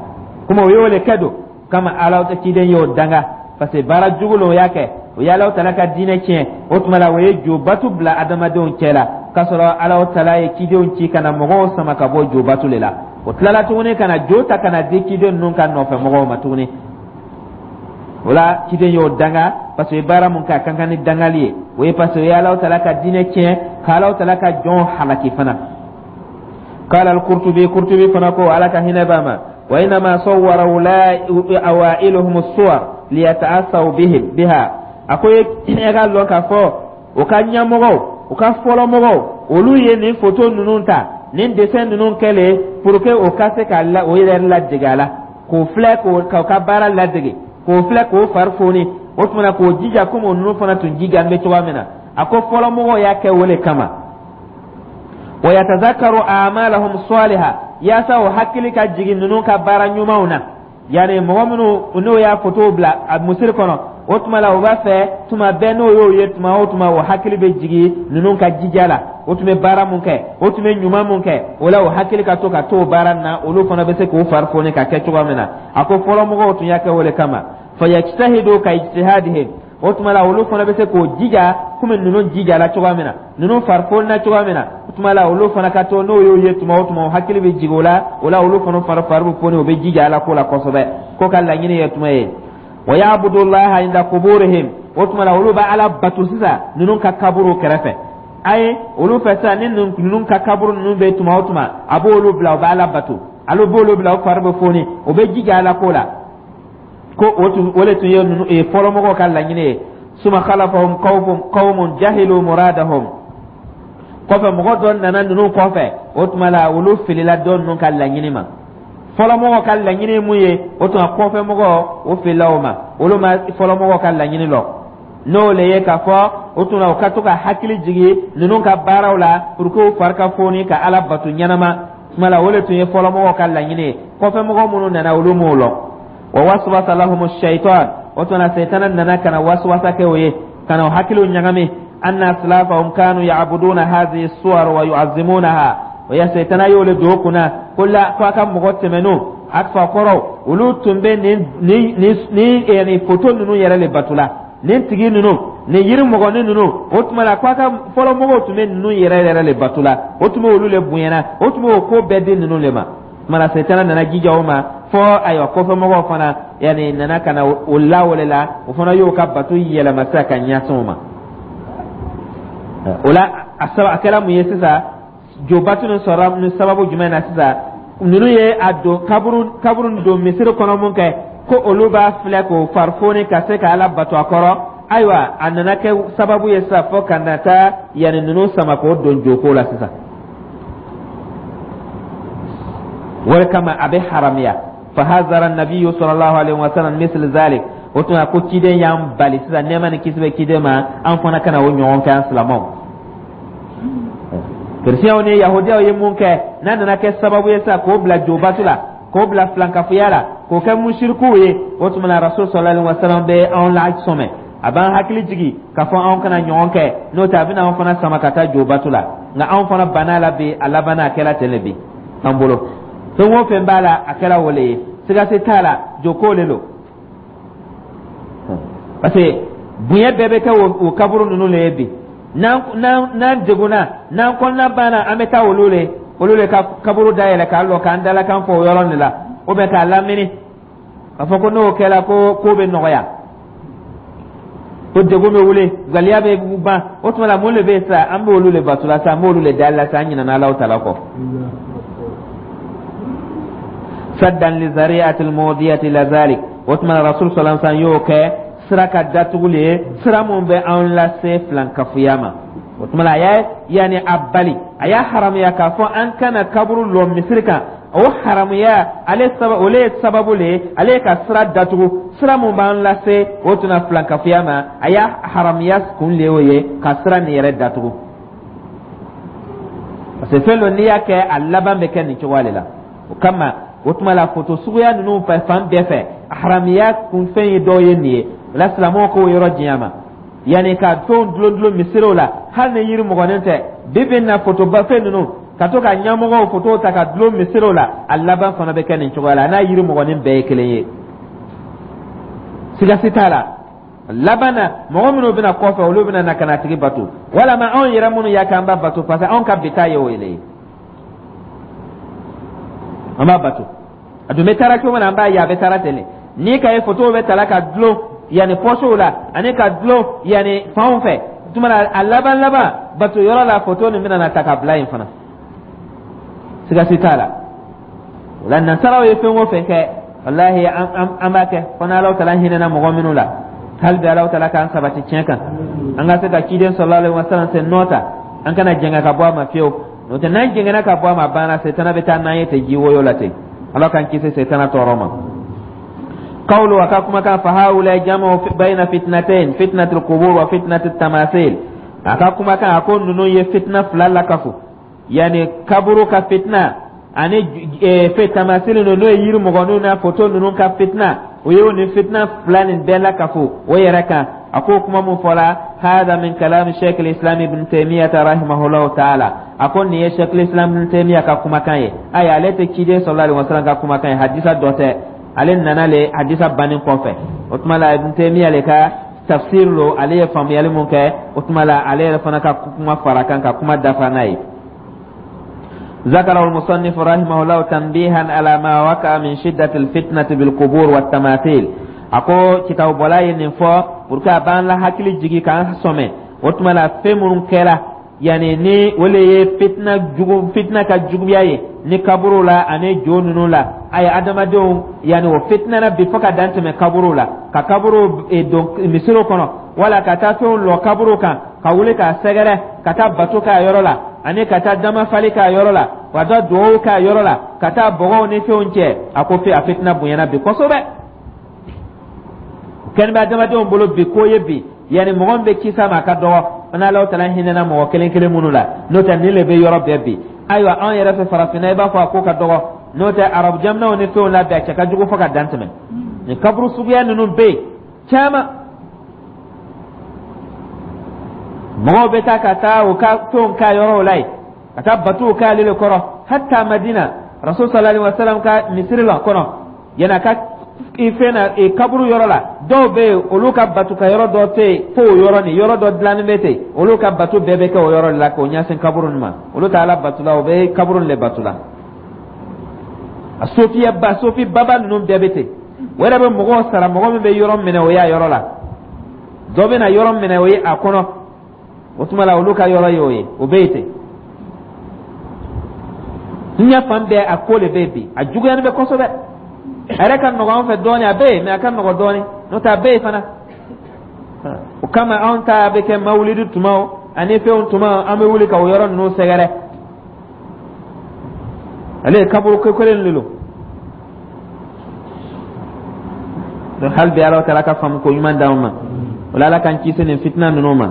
Kuma o y'o le kɛ don kama, Ala ta ciden y'o danga, parce que baara jugu lo o y'a kɛ, o ye Alahu Taala ka diinɛ tiɲɛ. O tuma la o ye jo batu bila adamadenw cɛ la, k'a sɔrɔ Alahu Taala ye cidenw ci ka na mɔgɔw sama ka bɔ jo batu le la. O tilala tuguni ka na jo ta ka na di ciden ninnu ka nɔfɛ mɔgɔw ma tuguni. O la ciden y'o danga, parce que baara mun kɛ, a ka kan ni dangali ye. O ye parce que o ye Alahu Taala ka diinɛ tiɲɛ, ka Alahu Taala ka jɔn halaki fana. قال القرطبي, قرطبي fana ko, Ala ka hinɛ b'a ma, وإنما صور أوائلهم الصور ليتأسوا بهم بها. A ko e ka lɔn k'a fɔ o ka ɲɛmɔgɔw, u ka fɔlɔmɔgɔw, olu ye nin foto ninnu ta, nin dessin ninnu kɛlen pour que o ka se ka la o yɛrɛ ladege a la, k'o filɛ, k'o ka baara ladege, k'o filɛ, k'o fari foni. O tuma na k'o jija komi o ninnu fana tun jija bɛ cogoya min na. A ko fɔlɔmɔgɔw y'a kɛ o le kama. ويتذكروا أعمالهم الصالحة, yaasa o hakili ka jigin ninnu ka baara ɲumanw na. Yani mɔgɔ minnu n'o y'a foto bila a musiri kɔnɔ, o tuma la o b'a fɛ tuma bɛɛ n'o y'o ye tuma o tuma, o hakili bɛ jigin ninnu ka jija la, o tun bɛ baara mun kɛ, o tun bɛ ɲuman mun kɛ. O la o hakili ka to ka to o baara na, olu fana bɛ se k'o fari foni ka kɛ cogoya min na. A ko fɔlɔmɔgɔw tun y'a kɛ o de kama. فيجتهدوا كاجتهادهم, o tuma la olu fana bɛ se k'o jija komi ninnu jijala cogoya min na, ninnu fari cogoya min na. O tuma la olu fana ka to n'o y'o ye tuma o tuma, o hakili bɛ jigin o la. O la olu fana fari fari bɛ foni, o bɛ jija Ala ko la kosɛbɛ, ko ka laɲini ye tuma ye. ويعبدوا الله عند قبورهم, o tuma la olu bɛ Ala bato sisan ninnu ka kaburu kɛrɛfɛ. Ayi, olu fɛ sisan, ni ninnu ka kaburu ninnu bɛ tuma o tuma, a b'olu bila, u bɛ Ala bato, alo b'olu bila, o fari bɛ foni, o bɛ jija Ala ko la. Ko o tun o de tun ye ninnu fɔlɔmɔgɔw ka laɲini ye. ثم خلفهم قوم قوم جهلوا مرادهم, kɔfɛ mɔgɔ dɔ nana ninnu kɔfɛ, o tuma la olu filila dɔ ninnu ka laɲini ma. Fɔlɔmɔgɔw ka laɲini ye mun ye, o tuma kɔfɛ mɔgɔ o filila o ma, olu ma fɔlɔmɔgɔw ka laɲini lɔ, n'o le ye k'a fɔ o tuma o ka to ka hakili jigin ninnu ka baaraw la pour que u fari ka foni ka Ala bato ɲɛnama. Tuma la o de tun ye fɔlɔmɔgɔw ka laɲini ye. Kɔfɛ mɔgɔ minnu nana, olu m'o lɔn. ووسوس لهم الشيطان, o tuma sɛtana nana ka na waswasa kɛ o ye, ka na o hakiliw ɲagami, أن أسلافهم كانوا يعبدون هذه الصور ويعظمونها. O ya sɛtana y'o le don o kunna ko la ko a ka mɔgɔ tɛmɛnenw, a fa kɔrɔw, olu tun bɛ nin nin nin nin nin foto ninnu yɛrɛ le bato la, nin tigi ninnu, nin yiri mɔgɔnin ninnu. O tuma la ko a ka fɔlɔmɔgɔw tun bɛ ninnu yɛrɛ yɛrɛ le bato la, o tun bɛ olu le bonyana, o tun bɛ o ko bɛɛ di ninnu le ma. Tuma sɛtana nana jija o ma fɔ ayiwa kɔfɛmɔgɔw fana yanni nana ka na o la o le la, o fana y'o ka bato yɛlɛma sisan ka ɲɛsin o ma. O la a saba a kɛra mun ye sisan? Jobatu nin sɔrɔla ni sababu jumɛn na sisan? Ninnu ye a don kaburu kaburu don misiri kɔnɔ mun kɛ ko olu b'a filɛ k'o farifoni ka se ka Ala bato a kɔrɔ, ayiwa, a nana kɛ sababu ye sisan fɔ ka na taa yanni ninnu sama k'o don joko la sisan. O de kama a bɛ haramiya. فحذر النبي صلى الله عليه وسلم مثل ذلك, o tuma ko ciden y'an bali sisan, nɛɛma ni kisi bɛ ciden ma, an fana kana o ɲɔgɔn kɛ. An silamɛw, kerecɛnw ni yahudiyaw ye mun kɛ, n'a nana kɛ sababu ye sisan k'o bila jobatu la, k'o bila filankafoya la, k'o kɛ musirikuw ye, o tuma na rasul صلى الله عليه وسلم bɛ anw la sɔmɛ, a b'an hakili jigi k'a fɔ anw kana ɲɔgɔn kɛ, n'o tɛ a bɛna anw fana sama ka taa jobatu la. Nka anw fana banna la bi, a labanna a kɛra ten de bi an bolo. Fɛn o fɛn b'a la, a kɛra o le ye, siga si t'a la, joko le don, parce que bonya bɛɛ bɛ kɛ o kaburu ninnu le ye bi. N'an n'an degunna, n'an kɔnɔna banna, an bɛ taa olu le olu le ka kaburu dayɛlɛ k'a lɔ k'an dalakan fɔ o yɔrɔ de la, ou bien k'a lamini k'a fɔ ko n'o kɛra ko ko bɛ nɔgɔya. Ko degun bɛ wuli, galiya bɛ ban. O tuma la, mun de bɛ yen sisan? An b'olu le bato la sisan, an b'olu le dali la sisan, an ɲinɛna Alahu taala kɔ. Saddan li zari'atil mudiyati la zalik. O tuma la, Rasul sallallahu alaihi wasallam y'o kɛ sira ka datuguli ye, sira mun bɛ an lase filankafoya ma. O tuma la, a y'a yanni a bali, a y'a haramuya k'a fɔ an kana kaburu lɔ misiri kan. O haramuya ale saba, o ye sababu le ye, ale ye ka sira datugu, sira mun b'an lase o tuna filankafoya ma. A y'a haramuya kun le y'o ye, ka sira nin yɛrɛ datugu, parce que fɛn dɔ, n'i y'a kɛ, a laban bɛ kɛ nin cogoya de la. O kama, o tuma la, foto suguya ninnu fɛ, fan bɛɛ fɛ, haramuya kunfɛn ye dɔw ye nin ye. O la, silamɛw k'o yɔrɔ janya ma, yanni ka fɛnw dulon dulon misiriw la, hali ni yiri mɔgɔnin tɛ. Bi bi in na, fotoba fɛn ninnu, ka to ka ɲɛmɔgɔw foto ta ka dulon misiriw la, a laban fana bɛ kɛ nin cogoya la. N'a yiri mɔgɔnin bɛɛ ye kelen ye, siga si t'a la, laban na, mɔgɔ minnu bɛna kɔfɛ, olu bɛna na ka na tigi bato, walama anw yɛrɛ minnu y'a kɛ, an b'a bato, parce que anw ka bi ta ye o ye, an b'a bato. A dun bɛ taara cogo min na, an b'a ye a bɛ taara ten de. N'i ka ye fotow bɛ tala ka dulon yanni pɔsiw la ani ka dulon yanni fanw fɛ, tuma na, a laban laban, bato yɔrɔ la, foto nin bɛna na ta ka bila yen fana, siga si t'a la. O la, nasaraw ye fɛn o fɛn kɛ, walahi, an b'a kɛ fo n'Alahu taala hinɛna mɔgɔ minnu la. Hali bi, Alahu taala k'an sabati tiɲɛ kan, an ka se ka ciden sallallahu alaihi wasallam sen nɔ ta, an kana jɛngɛ ka bɔ a ma fiyewu. N'o tɛ, n'an jɛngɛnna ka bɔ a ma, a banna, setana bɛ taa n'an ye ten ji woyo la ten. Ala k'an kisi setana tɔɔrɔ ma. قوله, a ka kumakan, فهؤلاء جمعوا بين فتنتين، فتنة القبور وفتنة التماثيل. A ka kumakan, a ko ninnu ye fitna fila lakafu, yani kaburu ka fitna ani fɛ tamasili ninnu, n'o ye yiri mɔgɔninw n'a foto ninnu ka fitna. O ye nin fitna fila nin bɛɛ lakafu o yɛrɛ kan. A ko kuma mun fɔla, هذا من كلام شيخ الإسلام ابن تيمية رحمه الله تعالى. A ko nin ye شيخ الإسلام ابن تيمية ka kumakan ye. Ayi, ale tɛ ciden sallallahu alaihi wasallam ka kumakan ye, hadisa dɔ tɛ. Ale nana le hadisa banni kɔfɛ. O tuma la, Ibn Taymiya le ka tafsir lo, ale ye faamuyali mun kɛ, o tuma la, ale yɛrɛ fana ka kuma fara kan ka kuma dafa n'a ye. ذكره المصنف رحمه الله تنبيها على ما وقع من شدة الفتنة بالقبور والتماثيل. A ko kitabu bɔla ye nin fɔ pour que a b'an la hakili jigi k'an sɔmɛ. O tuma la, fɛn minnu kɛra yanni ni o le ye fitina jugu, fitina ka juguya ye ni kaburu la ani jo ninnu la. Ayi, adamadenw yanni o fitina na bi fo ka dan tɛmɛ kaburu la, ka kaburu don misiriw kɔnɔ, wala ka taa fɛnw lɔ kaburu kan, ka wuli k'a sɛgɛrɛ, ka taa bato k'a yɔrɔ la, ani ka taa damafali k'a yɔrɔ la, ka taa duwawu k'a yɔrɔ la, ka taa bɔgɔw ni fɛnw cɛ. A ko fe a fitina bonyana bi kosɛbɛ, kɛni bɛ adamadenw bolo bi ko ye bi. Yanni mɔgɔ min bɛ kisa ma, a ka dɔgɔ, n'Alahu taala hinɛna mɔgɔ kelen kelen minnu la. N'o tɛ, nin le bɛ yɔrɔ bɛɛ bi. Ayiwa, anw yɛrɛ fɛ farafinna, i b'a fɔ a ko ka dɔgɔ. N'o tɛ, arabu jamanaw ni fɛnw la bi, a cɛ ka jugu fo ka dan tɛmɛ. Nin kaburu suguya ninnu bɛ yen caman, mɔgɔw bɛ taa ka taa u ka fɛnw k'a yɔrɔw la yen, ka taa batow k'ale le kɔrɔ. Hatta Madina, Rasul sallallahu alaihi wasallam ka misiri la kɔnɔ, yanni a ka fɛn na kaburu yɔrɔ la, dɔw bɛ yen, olu ka bato ka yɔrɔ dɔ tɛ yen fo o yɔrɔ nin, yɔrɔ dɔ dilannen bɛ ten, olu ka bato bɛɛ bɛ kɛ o yɔrɔ de la k'o ɲɛsin kaburu nin ma. Olu tɛ Ala bato la, o bɛ kaburu nin de bato la. A sofiya ba, sofi baba ninnu bɛɛ bɛ ten. O yɛrɛ bɛ mɔgɔw sara, mɔgɔ min bɛ yɔrɔ minɛ o y'a yɔrɔ la, dɔ bɛ na yɔrɔ minɛ o ye a kɔnɔ. O tuma la, olu ka yɔrɔ ye o ye, o bɛ yen ten. Diɲɛ fan bɛɛ, a ko de bɛ yen bi, a juguyani bɛ kosɛbɛ. A yɛrɛ ka nɔgɔ an fɛ dɔɔnin, a bɛ yen, mɛ a ka nɔgɔ dɔɔnin. N'o tɛ, a bɛ yen fana. O kama, anw ta bɛ kɛ mawulidi tumaw ani fɛnw tuma, an bɛ wuli ka o yɔrɔ ninnu sɛgɛrɛ. Ale ye kaburu ko kelen de don. Donc hali bi, Ala taala ka faamu ko ɲuman d'anw ma. O la, Ala k'an kisi nin fitina ninnu ma.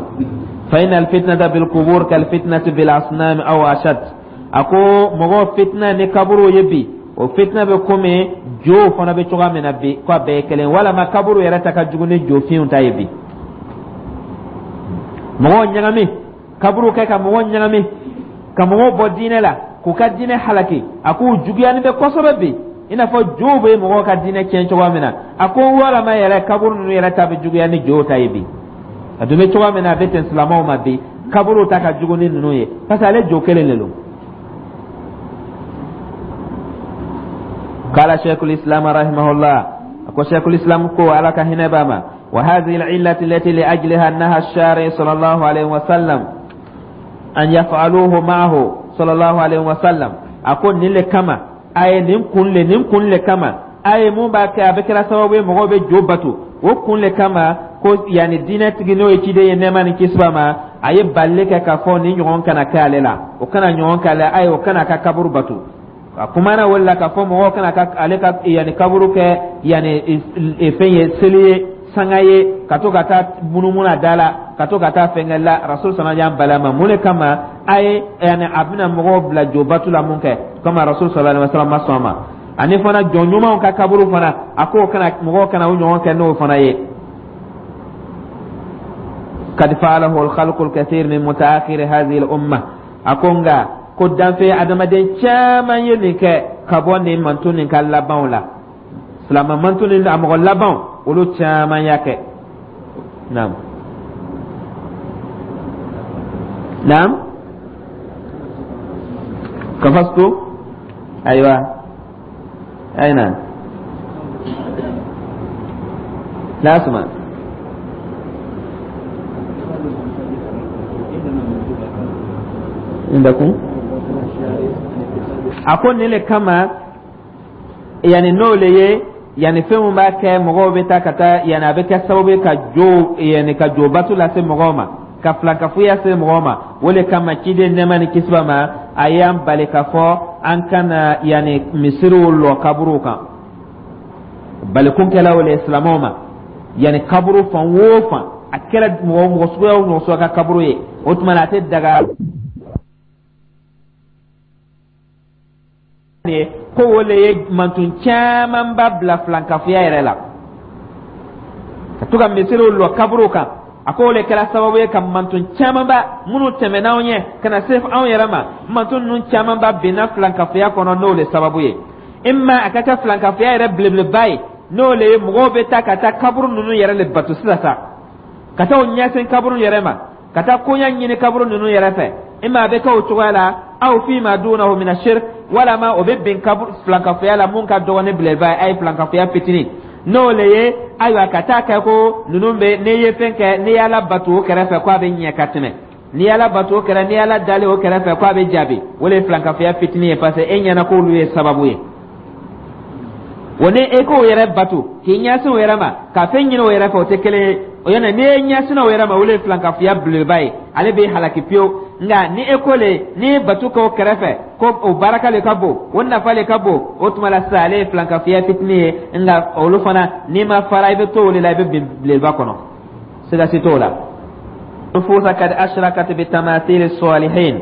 فإن الفتنة بالقبور كالفتنة بالأصنام أو أشد. A ko mɔgɔw fitina ni kaburu ye bi, o fitina bɛ komi jo fana bɛ cogoya min na bi, ko a bɛɛ ye kelen, walama kaburu yɛrɛ ta ka jugu ni jofinw ta ye bi. Mɔgɔw ɲagami, kaburu kɛ ka mɔgɔw ɲagami, ka mɔgɔw bɔ diinɛ la, k'u ka diinɛ halaki, a k'u juguyani bɛ kosɛbɛ bi, i n'a fɔ jow bɛ mɔgɔw ka diinɛ tiɲɛ cogoya min na. A ko walama yɛrɛ, kaburu ninnu yɛrɛ ta bɛ juguya ni jow ta ye bi. A dun bɛ cogoya min na, a bɛ ten silamɛw ma bi, kaburu ta ka jugu ni ninnu ye, parce que ale jo kelen de don. قال شيخ الإسلام رحمه الله, a ko شيخ الإسلام ko, Ala ka hinɛ b'a ma. وهذه العلة التي لأجلها نهى الشارع صلى الله عليه وسلم أن يفعلوه معه صلى الله عليه وسلم. A ko nin le kama a ye nin kun le nin kun le kama a ye mun b'a kɛ a bɛ kɛra sababu ye mɔgɔw bɛ jo bato, o kun le kama ko yanni diinɛ tigi, n'o ye ciden ye, nɛɛma ni kisi b'a ma, a ye balili kɛ k'a fɔ nin ɲɔgɔn kana kɛ ale la, o kana ɲɔgɔn kɛ ale, a ye o kana ka kaburu bato. A kumana o la k'a fɔ mɔgɔw kana ka ale ka yanni kaburu kɛ yanni fɛn ye, seli ye, sanga ye, ka to ka taa munumunu a da la, ka to ka taa fɛnkɛ la. Rasul sana y'an bali a ma. Mun de kama? A ye yanni a bɛna mɔgɔw bila jo batu la mun kɛ komi Rasul sallallahu alaihi wasallam ma sɔn a ma. Ani fana jɔn ɲumanw ka kaburu fana, a k'o kana mɔgɔw kana o ɲɔgɔn kɛ n'o fana ye. قد فعله الخلق الكثير من متأخر هذه الأمة. A ko nka ko danfɛn adamaden caman ye nin kɛ ka bɔ nin manton nin ka labanw la, silamɛ manton nin a mɔgɔ labanw, olu caman y'a kɛ. Naam, naam, kafastu. Ayiwa, ayna la asma. Indakum. A ko nin le kama yani n'o le ye yani fɛn min b'a kɛ mɔgɔw bɛ taa ka taa yani a bɛ kɛ sababu ye ka jo yani ka jo bato lase mɔgɔw ma, ka filankafoya se mɔgɔw ma, o le kama ciden, nɛɛma ni kisi b'a ma, a y'an bali k'a fɔ an kana yani misiriw lɔ kaburuw kan. Balikun kɛla o le silamɛw ma yani kaburu fan o fan, a kɛra mɔgɔ mɔgɔ suguya o mɔgɔ suguya ka kaburu ye, o tuma na a tɛ daga ye ko o le ye mantun camanba bila filankafoya yɛrɛ la, ka to ka misiriw lɔ kaburuw kan. A ko o le kɛra sababu ye ka mantun camanba minnu tɛmɛna anw ɲɛ ka na se anw yɛrɛ ma, mantun ninnu camanba binna filankafoya kɔnɔ n'o le sababu ye. Imma a ka kɛ filankafoya yɛrɛ belebeleba ye, n'o le ye mɔgɔw bɛ taa ka taa kaburu ninnu yɛrɛ le bato sisan sa, ka taa o ɲɛsin kaburu yɛrɛ ma, ka taa koɲa ɲini kaburu ninnu yɛrɛ fɛ. Imma a bɛ kɛ o cogoya la, aw fima dunahu mina shirk, walama o bɛ bin kaburu filankafoya la mun ka dɔgɔ ni belebeleba ye, a ye filankafoya fitinin, n'o le ye ayiwa ka taa kɛ ko ninnu bɛ n'i ye fɛn kɛ, n'i y'Ala bato o kɛrɛfɛ ko a bɛ ɲɛ ka tɛmɛ, n'i y'Ala bato o kɛrɛ, n'i y'Ala dali o kɛrɛfɛ ko a bɛ jaabi, o le ye filankafoya fitinin ye, parce que e ɲɛna k'olu ye sababu ye. O ni e k'o yɛrɛ bato k'i ɲɛsin o yɛrɛ ma ka fɛn ɲini o yɛrɛ fɛ, o tɛ kelen ye. O yɛrɛ n'i ye ɲɛsin o yɛrɛ ma, o le ye filankafoya belebeleba ye, ale bɛ halaki pewu. Nka ni e ko le n'i ye bato kɛ o kɛrɛfɛ ko o baraka le ka bon, o nafa le ka bon, o tuma la sisan ale ye filankafoya fitinin ye. Nka olu fana, n'i ma fara, i bɛ to o de la, i bɛ bin belebeleba kɔnɔ, siga si t'o la. Nufusa kad ashrakat bi tamathil salihin.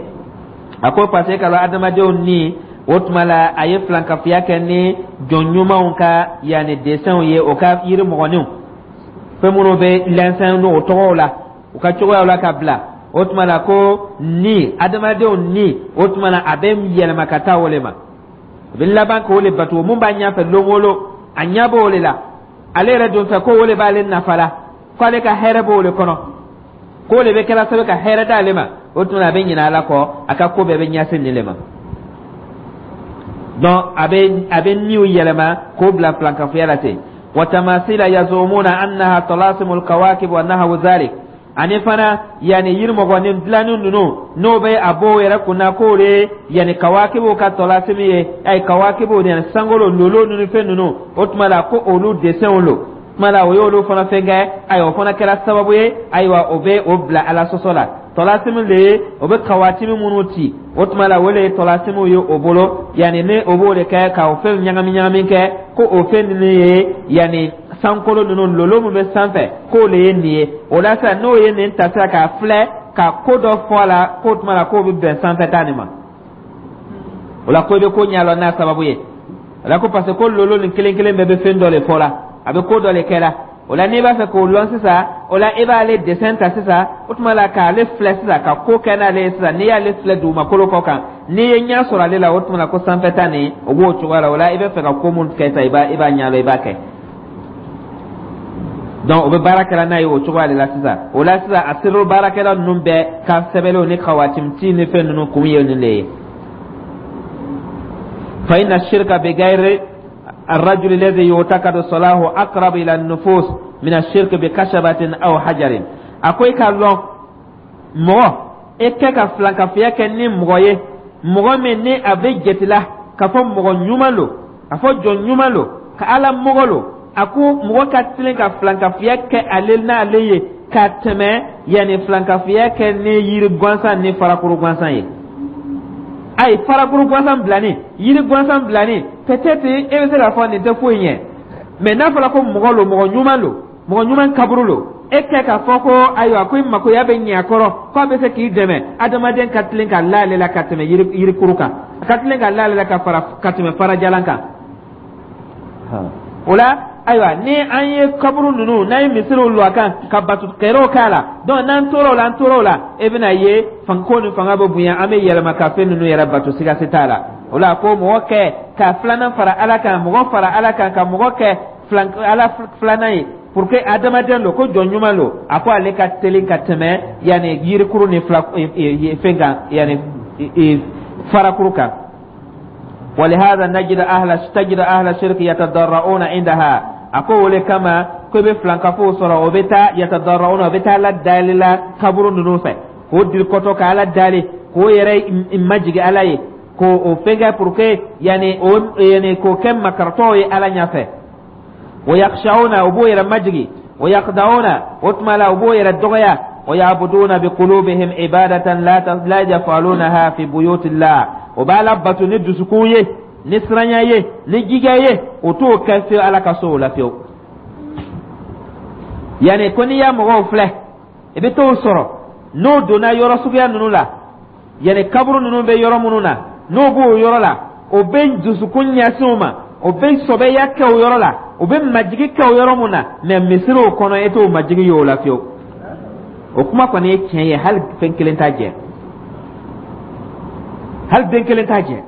A ko parce que ka adamadenw ni o tuma la a ye filankafoya kɛ ni jɔn ɲumanw ka yanni desɛnw ye, o ka yiri mɔgɔninw, fɛn minnu bɛ lɛnsɛn n'o tɔgɔw la, u ka cogoyaw la ka bila, o tuma la ko ni adamadenw ni o tuma la a bɛ yɛlɛma ka taa o le ma, a bɛ laban k'o le bato. Mun b'a ɲɛfɛ lon o lon, a ɲɛ b'o le la, ale yɛrɛ don fɛ ko o le b'ale nafa la, ko ale ka hɛrɛ b'o le kɔnɔ, k'o le bɛ kɛra sababu ka hɛrɛ d'ale ma, o tuma la a bɛ ɲinɛ Ala kɔ, a ka ko bɛɛ bɛ ɲɛsin nin le ma. Donc a bɛ a bɛ niw yɛlɛma k'o bila filankafoya la ten. Wa tamasila yazumuna annaha talasimul kawakib wa nahawu zalik. Ani fana yanni yirimɔgɔnin dilanni ninnu, n'o bɛ a b'o yɛrɛ kunna k'o de yanni kawakibu ka tɔlasimi ye, ayi kawakibu yanni sankolo lolo ninnu fɛn ninnu, o tuma la ko olu desɛnw lo tuma la o y'olu fana fɛn kɛ. Ayiwa, o fana kɛra sababu ye, ayiwa, o bɛ o bila Ala sɔsɔ la. Tɔlasimi de ye o bɛ kawatimi minnu ci, o tuma la o de ye tɔlasimiw ye o bolo, yanni ni o b'o de kɛ ka o fɛn ɲagami ɲagami kɛ ko o fɛn ninnu ye yanni sankolo ninnu lolo min bɛ sanfɛ, k'o de ye nin ye. O la sisan n'o ye nin ta sisan k'a filɛ ka ko dɔ fɔ a la k'o tuma la k'o bɛ bɛn sanfɛ ta nin ma, o la ko i bɛ ko ɲɛ n'a sababu ye. O la ko parce que ko lolo nin kelen kelen bɛɛ bɛ fɛn dɔ de fɔ la, a bɛ ko dɔ de kɛ la. O la n'i b'a fɛ k'o lɔn sisan, o la e b'ale dessin ta sisan, o tuma la k'ale filɛ sisan ka ko kɛ n'ale ye sisan. N'i y'ale filɛ dugumakolo kɔ kan, n'i ye ɲɛ sɔrɔ ale la, o tuma la ko sanfɛ ta nin o b'o cogoya la. O la i bɛ fɛ ka ko mun kɛ sisan, i b'a i b'a ɲɛdɔn, i b'a kɛ. Donc o bɛ baara kɛra n'a ye o cogoya de la sisan. O la sisan a sero baarakɛla ninnu bɛɛ ka sɛbɛnlenw ni kawatimti ni fɛn ninnu kun ye nin de ye. Fa inna shirka bi gayri الرجل الذي يعتقد صلاحه أقرب إلى النفوس. Min ashirki bi kashabatin aw hajarin. A ko i ka lɔn, mɔgɔ e kɛ ka filankafoya kɛ ni mɔgɔ ye, mɔgɔ min ni a bɛ jatila k'a fɔ mɔgɔ ɲuman lo, a fɔ jɔn ɲuman lo, ka Ala mɔgɔ lo, a ko mɔgɔ ka tilen ka filankafoya kɛ ale n'ale ye ka tɛmɛ yanni filankafoya kɛ ni yiri gansan ni farakuru gansan ye. Ayi, farakuru gansan bilani, yiri gansan bilani, peut-être e bɛ se k'a fɔ nin tɛ foyi ɲɛ, mais n'a fɔra ko mɔgɔ lo, mɔgɔ ɲuman lo, mɔgɔ ɲuman kaburu lo, e kɛ k'a fɔ ko ayiwa, ko i makoya bɛ ɲɛ a kɔrɔ, k'a bɛ se k'i dɛmɛ, adamaden ka tilen ka la ale la ka tɛmɛ yiri yirikuru kan, a ka tilen ka la ale la ka fara ka tɛmɛ farajalan kan. O la, ayiwa, ni an ye kaburu ninnu, n'an ye misiriw lɔ a kan ka batu kɛrɛw k'a la, donc n'an tora o la, an tora o la, e bɛna ye ko ni fanga bɛ bonya, an bɛ yɛlɛma ka fɛn ninnu yɛrɛ bato, siga si t'a la. O la, ko mɔgɔ kɛ ka filanan fara Ala kan, mɔgɔ fara Ala kan, ka mɔgɔ kɛ filan Ala filanan ye pour que adamaden lo, ko jɔn ɲuman lo, a ko ale ka teli ka tɛmɛ yanni yirikuru ni fila fɛn kan, yanni farakuru kan. ولهذا نجد أهل تجد أهل الشرك يتضرعون عندها. A ko o le kama ko i bɛ filankafow sɔrɔ, o bɛ taa يتضرعون, o bɛ taa Ala dali la kaburu ninnu fɛ, k'o dirikɔtɔ ka Ala dali, k'o yɛrɛ majigi Ala ye, k'o o fɛn kɛ pour que yanni o yanni k'o kɛ makaratɔw ye Ala ɲɛfɛ. ويخشعون, o b'o yɛrɛ majigi, ويخضعون, o tuma la o b'o yɛrɛ dɔgɔya, ويعبدون بقلوبهم عبادة لا لا يفعلونها في بيوت الله. O b'a la bato ni dusukun ye, ni siranya ye, ni jija ye, o t'o kɛ fiyewu Ala ka so o la fiyewu. Yanni ko n'i y'a mɔgɔw filɛ, i bɛ t'o sɔrɔ n'o donna yɔrɔ suguya ninnu la, yanni kaburu ninnu bɛ yɔrɔ minnu na, n'o b'o yɔrɔ la, o bɛ dusukun ɲɛsin o ma, o bɛ sɔbɛya kɛ o yɔrɔ la, o bɛ majigi kɛ o yɔrɔ mun na, mais misiriw kɔnɔ, e t'o majigi ye o la fiyewu. O kuma kɔni ye tiɲɛ ye, hali fɛn kelen t'a jɛ, hali den kelen t'a jɛ.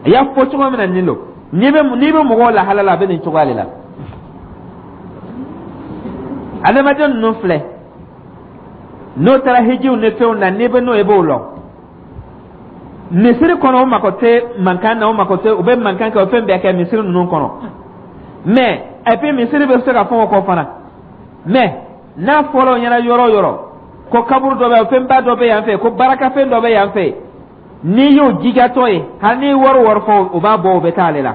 I y'a fɔ cogo min na nin don, n'i bɛ n'i bɛ mɔgɔw lahala la, a bɛ nin cogoya de la. Adamaden ninnu filɛ, n'o taara hijiw ni fɛnw na, n'i bɛ n'o ye, i b'o lɔn. Misiri kɔnɔ, o mako tɛ mankan na, o mako tɛ, u bɛ mankan kɛ, o fɛn bɛɛ kɛ misiri ninnu kɔnɔ. Mais et puis misiri bɛ se ka fɛn o kɔ fana, mais n'a fɔra o ɲɛna yɔrɔ o yɔrɔ ko kaburu dɔ bɛ yen, fɛnba dɔ bɛ yan fɛ, ko barakafɛn dɔ bɛ yan fɛ, n'i y'o jijatɔ ye, hali n'i wari wari fɔ, o b'a bɔ, o bɛ taa ale la,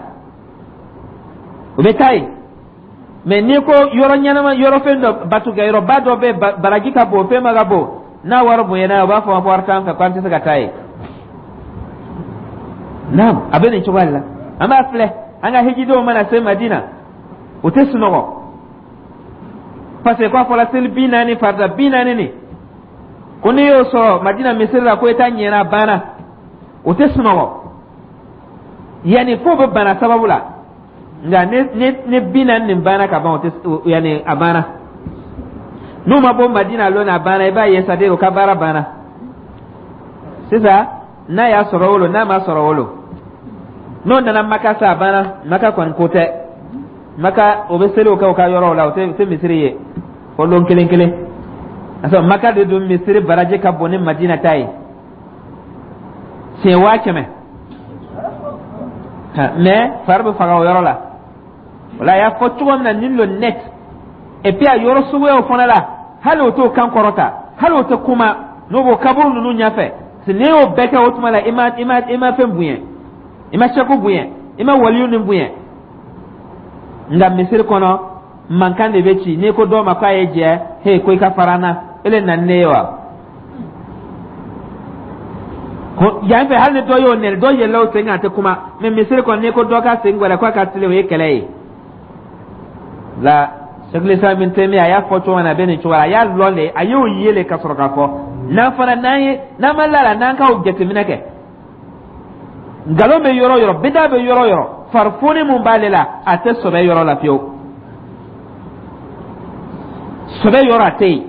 o bɛ taa yen. Mais n'i ko yɔrɔ ɲɛnama, yɔrɔ fɛn dɔ, batukɛyɔrɔba dɔ bɛ, baraji ka bon, fɛn ma ka bon, n'a wari bonyana, o b'a fɔ ko wari t'an fɛ, k'an tɛ se ka taa yen. Naam, a bɛ nin cogoya de la. An b'a filɛ, an ka hijidenw mana se Madina, o tɛ sunɔgɔ, parce que k'a fɔra seli bi naani, farida bi naani nin, ko n'i y'o sɔrɔ Madina misiri la, ko i ta ɲɛna, a banna. O tɛ sunɔgɔ yanni fo bɛ bana sababu la. Nka ni ni ni bi naani nin banna ka ban, o tɛ yanni a banna. N'u ma bɔ Madina lon, a banna. I b'a ye, c'est à dire o ka baara banna sisan. N'a y'a sɔrɔ o lo, n'a ma sɔrɔ o lo, n'o nana Maka sa, a banna. Maka kɔni ko tɛ, Maka o bɛ seliw kɛ o ka yɔrɔw la, o tɛ o tɛ misiri ye fo lon kelen kelen. Parce que Maka de dun misiri baraji ka bon ni Madina ta ye siɲɛ waa kɛmɛ, mais fari bɛ faga o yɔrɔ la. O la, a y'a fɔ cogo min na nin lo net. Et puis a yɔrɔ suguyaw fana la, hali o t'o kan kɔrɔta, hali o tɛ kuma n'o b'o kaburu ninnu ɲɛfɛ. N'i y'o bɛɛ kɛ, o tuma la i ma i ma i ma fɛn bonya, i ma sɛku bonya, i ma waliyu nin bonya. Nka misiri kɔnɔ, mankan de bɛ ci. N'i ko dɔw ma k'a ye jɛ, he, ko i ka fara n na, e le na ni ne ye wa? Ko yan fɛ, hali ni dɔ y'o nɛni, dɔ yɛlɛla o sen kan, a tɛ kuma. Mais misiri kɔnɔ, n'i ko dɔ ka sen gwɛlɛ k'a ka tilen, o ye kɛlɛ ye. La Sheikhul Islam Ibn Taymiyyah a y'a fɔ cogo min na, a bɛ nin cogo la. A y'a lɔn de, a y'o ye le ka sɔrɔ k'a fɔ. N'an fana n'an ye n'an ma la la, n'an k'aw jateminɛ kɛ, nkalon bɛ yɔrɔ yɔrɔ, bida bɛ yɔrɔ yɔrɔ, farifoni mun b'ale la, a tɛ sɔbɛ yɔrɔ la fiyewu. Sɔbɛ yɔrɔ a tɛ yen.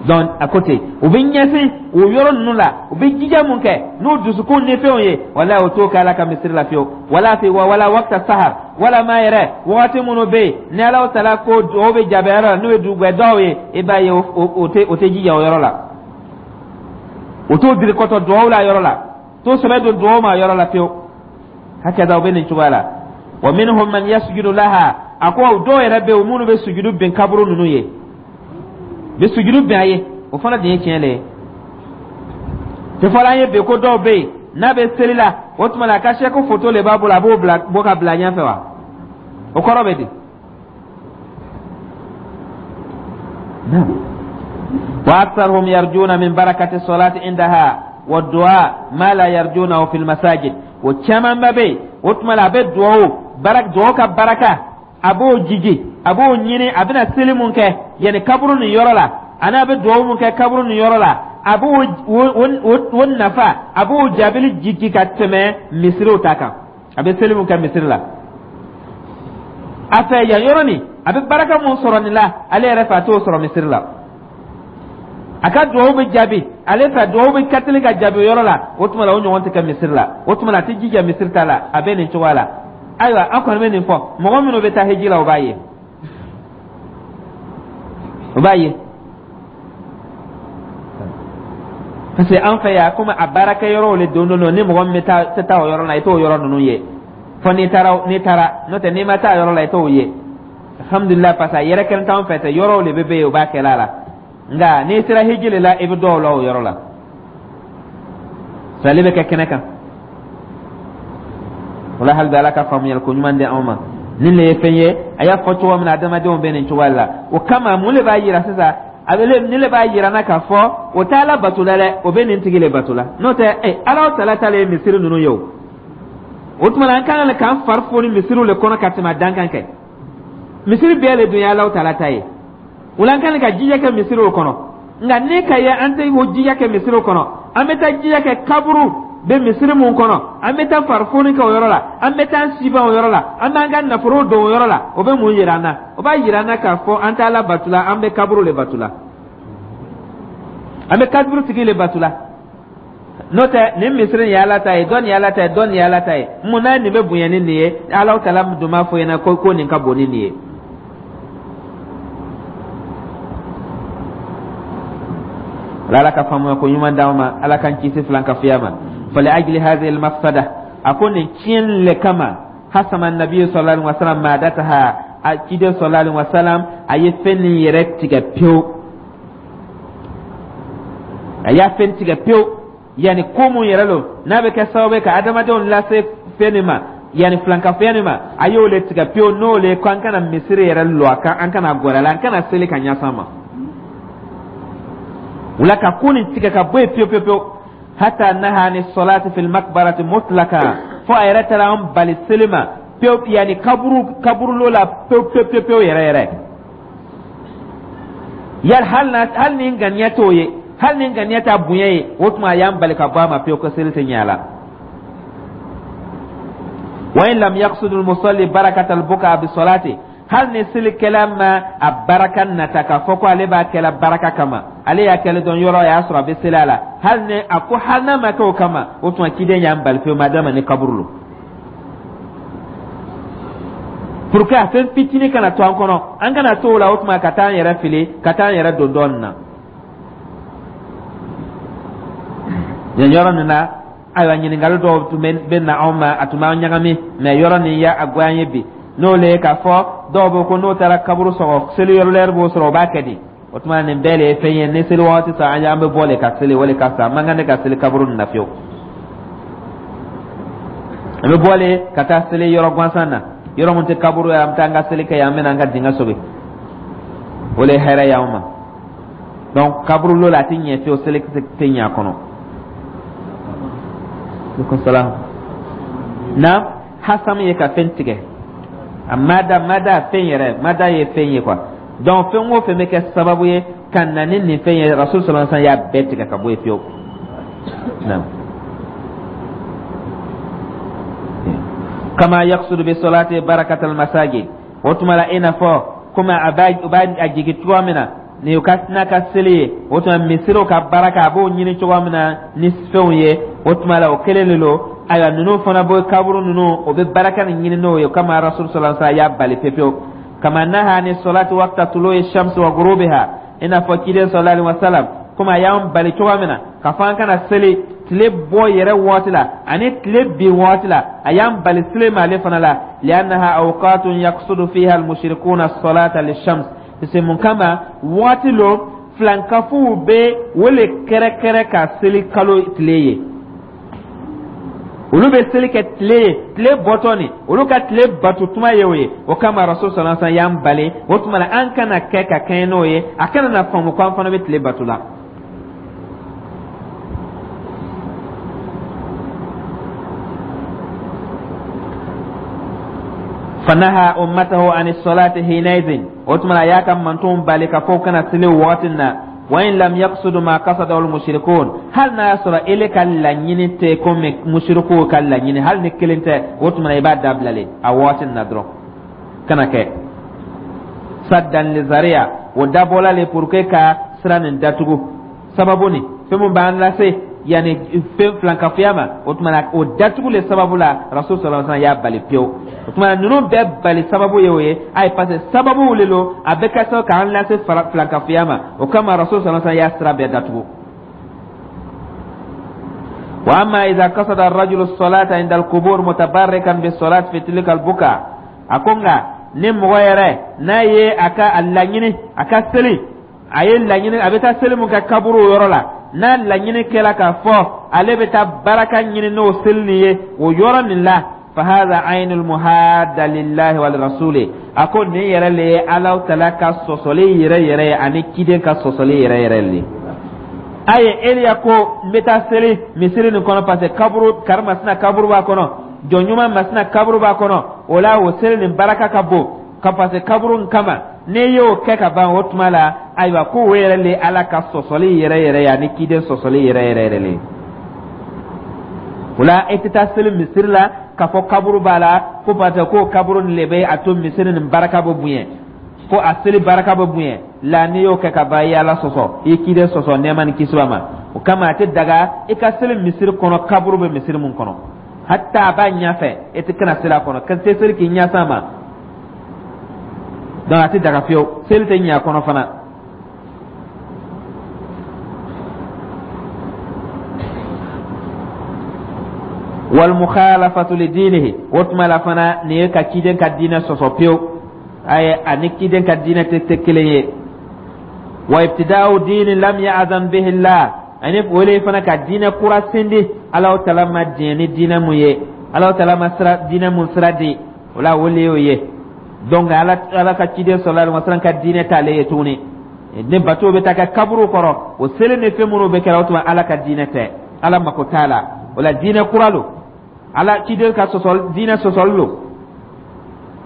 Donc a ko ten, u bɛ ɲɛsin o yɔrɔ ninnu la, u bɛ jija mun kɛ n'u dusukun ni fɛnw ye, wala o t'o kɛ Ala ka misiri la fiyewu. Wala fi wala waqta sahar, wala ma yɛrɛ wagati minnu bɛ yen ni Ala tala ko o bɛ jaabi yɔrɔ la, n'o ye dugubɛ ye, i b'a ye o tɛ o tɛ jija o yɔrɔ la, o t'o diri kɔtɔ duwawu la yɔrɔ la, t'o sɛbɛ don duwawu ma yɔrɔ la fiyewu. Hakɛda o bɛ nin cogoya la. Wa minhum man yasjudu laha, a ko dɔw yɛrɛ bɛ yen, minnu bɛ sujudu bin kaburu ninnu ye, bɛ sujudu bin a ye. O fana de ye tiɲɛ le ye. Tɛ fɔla an ye bi ko dɔw bɛ yen, n'a bɛ seli la, o tuma la a ka sɛku foto le b'a bolo, a b'o bila bɔ ka bila ɲɛfɛ wa? O kɔrɔ bɛ di? Wa aktharuhum yarjuna min barakati salati indaha wa du'a ma la yarjunahu fil masajid. O camanba bɛ yen, o tuma la a bɛ duwawu barak, duwawu ka baraka, a b'o jigi, a b'o ɲini. A bɛna seli mun kɛ yanni kaburu nin yɔrɔ la, ani a bɛ duwawu mun kɛ kaburu nin yɔrɔ la, a b'o o nafa, a b'o jaabili jigi ka tɛmɛ misiriw ta kan. A bɛ seli mun kɛ misiri la a fɛ yan yɔrɔ nin, a bɛ baraka mun sɔrɔ nin la, ale yɛrɛ fɛ a t'o sɔrɔ misiri la. A ka duwawu bɛ jaabi ale fɛ, duwawu bɛ kateli ka jaabi o yɔrɔ la. O tuma la, o ɲɔgɔn tɛ kɛ misiri la. O tuma la, a tɛ jija misiri ta la, a bɛ nin cogoya la. Ayiwa, an kɔni bɛ nin fɔ, mɔgɔ minnu bɛ taa hiji la, o b'a ye, o b'a ye, parce que an fɛ yan, komi a baarakɛyɔrɔw le don don, ni mɔgɔ min bɛ taa tɛ taa o yɔrɔ la, i t'o yɔrɔ ninnu ye, fo n'i taara. N'i taara, n'o tɛ, n'i ma taa yɔrɔ la, i t'o ye. Alhamdulilah, parce que a yɛrɛ kɛlen t'anw fɛ tɛ, yɔrɔw de bɛ bɛ yen, o b'a kɛla la. Nka n'i sera hiji le la, i bɛ dɔw la o yɔrɔ la, sali bɛ kɛ kɛnɛ kan o la. Hali bi, Ala ka faamuyali ko ɲuman di anw ma. Nin le ye fɛn ye, a y'a fɔ cogo min na, adamadenw bɛ nin cogoya la. O kama, mun le b'a yira sisan? A bɛ nin le b'a yira n na k'a fɔ o tɛ Ala bato la dɛ, o bɛ nin tigi le bato la. N'o tɛ ɛ, Ala tala ta le ye misiri ninnu ye. O o tuma na, an kan k'an fari foni misiriw le kɔnɔ ka tɛmɛ a dan kan kɛ. Misiri bɛɛ le dun ye Ala tala ta ye. O la, an kan ka jija kɛ misiriw kɔnɔ. Nka ne ka ye, an tɛ o jija kɛ misiriw kɔnɔ, an bɛ taa jija kɛ kaburu bɛ misiri mun kɔnɔ, an bɛ taa farifoni kɛ o yɔrɔ la, an bɛ taa siban o yɔrɔ la, an b'an ka nafolo don o yɔrɔ la. O bɛ mun yira an na? O b'a yira an na k'a fɔ an tɛ Ala bato la, an bɛ kaburu le bato la, an bɛ kaburu tigi le bato la. N'o tɛ, nin misiri nin ye Ala ta ye, dɔ nin ye Ala ta ye, dɔ nin ye Ala ta ye. Mun na nin bɛ bonya ni nin ye? Ala tala dun b'a fɔ ɲɛna ko ko nin ka bon ni nin ye. Ala ka faamuya ko ɲuman d'anw ma, Ala k'an kisi filankafoya ma. Fali ajli hadhihi almafsada, a ko nin tiɲɛni le kama, hasama nabiyu sallallahu alaihi wasallam madataha, a ciden sallallahu alaihi wasallam, a ye fɛn nin yɛrɛ tigɛ pewu, a y'a fɛn tigɛ pewu. Yani ko mun yɛrɛ lo n'a bɛ kɛ sababu ye ka adamadenw lase fɛn nin ma, yani filankafoya nin ma, a y'o le tigɛ pewu. N'o le ko an kana misiri yɛrɛ lɔ a kan, an kana gɔrɛ la, an kana seli ka ɲɛsan ma wula, ka ko nin tigɛ ka bɔ yen pewu pewu pewu. Hata naha ni salati fil makbarati mutlaka, fo a yɛrɛ taara an bali seli ma pewu, yanni kaburu kaburulo la pewu pewu pewu pewu yɛrɛ yɛrɛ. Yali hali na, hali ni ŋaniya t'o ye, hali ni ŋaniya t'a bonya ye, o tuma a y'an bali ka bɔ a ma pewu, ko seli tɛ ɲɛ a la. Wa in lam yaqsud al musalli barakata al buka bi salati, hali ni selikɛla ma a baraka nata k'a fɔ ko ale b'a kɛla baraka kama, ale y'a kɛlɛ dɔn yɔrɔ y'a sɔrɔ a bɛ seli a la, hali ni a ko hali n'a ma kɛ o kama, o tuma ciden y'an bali pewu, ma d'a ma ni kaburu lo, pour que a fɛn fitinin kana to an kɔnɔ, an kana to o la, o tuma ka taa an yɛrɛ fili, ka taa an yɛrɛ don dɔɔnin na nin yɔrɔ nin na. Ayiwa, ɲininkali dɔw tun bɛ na anw ma, a tun b'an ɲagami, mɛ yɔrɔ nin y'a goya an ye bi. N'o le ye k'a fɔ dɔw bɛ ko n'o taara kaburu sɔgɔ, seli yɔrɔ lɛri b'o sɔrɔ, o b'a kɛ di? O tuma nin bɛɛ de ye fɛn ye, ni seli wagati sera, an an bɛ bɔ le ka seli, o le ka fisa. An man kan ne ka seli kaburu nin na fiyewu. An bɛ bɔ le ka taa seli yɔrɔ gansan na, yɔrɔ mun tɛ kaburu ye. An bɛ taa an ka seli kɛ yen, an bɛ na an ka dingɛ sogi, o le ye hɛrɛ y'anw ma. Donc kaburu lo la, a tɛ ɲɛ fiyewu, seli tɛ ɲɛ a kɔnɔ. Aleykum salaam. Na hasam ye ka fɛn tigɛ, a mada mada fɛn yɛrɛ, mada ye fɛn ye quoi. Donc fɛn o fɛn bɛ kɛ sababu ye ka na ni nin fɛn ye, Rasul sallallahu alaihi wasallam y'a bɛɛ tigɛ ka bɔ yen fiyewu. Naam. Kama yaqsudu bi salati barakat al masajid, o tuma la, i n'a fɔ komi a b'a o b'a a jigi cogoya min na ni o ka n'a ka seli ye, o tuma misiriw ka baraka, a b'o ɲini cogoya min na ni fɛnw ye, o tuma la o kelen de don. Ayiwa, ninnu fana bɛ kaburu ninnu, o bɛ baraka nin ɲini n'o ye. O kama Rasul sallallahu alaihi wasallam y'a bali pepewu. Kama naha ni salati waqta tulu'i shamsi wa ghurubiha, i n'a fɔ ciden sallallahu alaihi wasallam, komi a y'an bali cogoya min na k'a fɔ an kana seli Tile bɔ yɛrɛ waati la ani tile bin waati la, a y'an bali seli ma ale fana la. Liannaha awqatun yaqsudu fiha almushrikuna as-salata lishams, parce que mun kama waati lo filankafow bɛ o le kɛrɛkɛrɛ ka seli kalo tile ye. Olu bɛ seli kɛ tile ye, tile bɔtɔ nin, olu ka tile bato tuma ye o ye. O kama Rasul sallallahu alaihi wasallam y'an bali. O tuma la, an kana kɛ ka kɛɲɛ n'o ye, a kana na faamu ko an fana bɛ tile bato la. Fanaha ummatahu an salati hinaizin, o tuma la a y'a ka mantonw bali ka fɔ kana seli o wagati na. Wa in lam yaqsudu ma qasadahu al-mushrikun, hali n'a y'a sɔrɔ ele ka laɲini tɛ komi mushrikuw ka laɲini, hali ni kelen tɛ, o tuma i b'a dabila le a wagati na dɔrɔn, kana kɛ saddan li zariya. O dabɔla le pour que ka sira nin datugu, sababu ni fɛn mun b'an lase yanni fɛn filankafoya ma. O tuma na, o datugu le sababu la, Rasul sallallahu alaihi wasallam y'a bali pewu. O tuma na, ninnu bɛɛ bali sababu ye o ye. Ayi, parce que sababu le lo a bɛ kɛ sababu k'an lase filankafoya ma. O kama Rasul sallallahu alaihi wasallam y'a sira bɛɛ datugu. Wa amma idha qasada ar-rajulu as-salata inda al-qubur mutabarrikan bis-salat fi tilka al-buka, a ko nka ni mɔgɔ yɛrɛ n'a ye a ka a laɲini a ka seli, a ye laɲini a bɛ taa seli mun kɛ kaburu yɔrɔ la, n'a laɲini kɛla k'a fɔ ale bɛ taa baraka ɲini n'o seli nin ye o yɔrɔ nin la, fahadha aynul muhadda lillahi wal rasuli, a ko nin yɛrɛ le ye Alahu Taala ka sɔsɔli yɛrɛ yɛrɛ ye ani ciden ka sɔsɔli yɛrɛ yɛrɛ le a ye. Eliya ko n bɛ taa seli misiri nin kɔnɔ parce que kaburu karimasina kaburu b'a kɔnɔ, jɔn ɲuman masina kaburu b'a kɔnɔ, o la o seli nin baraka ka bon ka parce que kaburu nin kama. N'i y'o kɛ ka ban, o tuma la, ayiwa, ko o yɛrɛ le Ala ka sɔsɔli yɛrɛ yɛrɛ ye ani ciden sɔsɔli yɛrɛ yɛrɛ yɛrɛ le. O la, e tɛ taa seli misiri la k'a fɔ kaburu b'a la, ko parce que ko kaburu nin le bɛ a to misiri nin baraka bɛ bonya, ko a seli baraka bɛ bonya la. N'i y'o kɛ ka ban, i ye Ala sɔsɔ, i ye ciden sɔsɔ, nɛɛma ni kisi b'a ma. O kama a tɛ daga i ka seli misiri kɔnɔ kaburu bɛ misiri mun kɔnɔ, hatta a b'a ɲɛfɛ, e tɛ kana seli a kɔnɔ, ka tɛ seli k'i ɲɛsin a ma. Donc a tɛ daga fiyewu, seli tɛ ɲɛ a kɔnɔ fana. Wal mukhalafatu li dinihi, o tuma la fana nin ye ka ciden ka diinɛ sɔsɔ pewu, ayi, ani ciden ka diinɛ tɛ tɛ kelen ye. Wa ibtida'u dini lam ya'zan bihi Allah, ani o le fana ka diinɛ kura sindi Alahu Taala ma diɲɛ ni diinɛ mun ye, Alahu Taala ma sira diinɛ mun sira di o la, o le y'o ye. Donc ala ala ka ciden sallallahu alaihi wasallam ka diinɛ t'ale ye tuguni. Ni bato bɛ taa kɛ kaburu kɔrɔ, o seli ni fɛn minnu bɛ kɛra, o tuma Ala ka diinɛ tɛ, Ala mako t'a la. O la, diinɛ kura lo, Ala ciden ka sɔsɔli diinɛ sɔsɔli lo.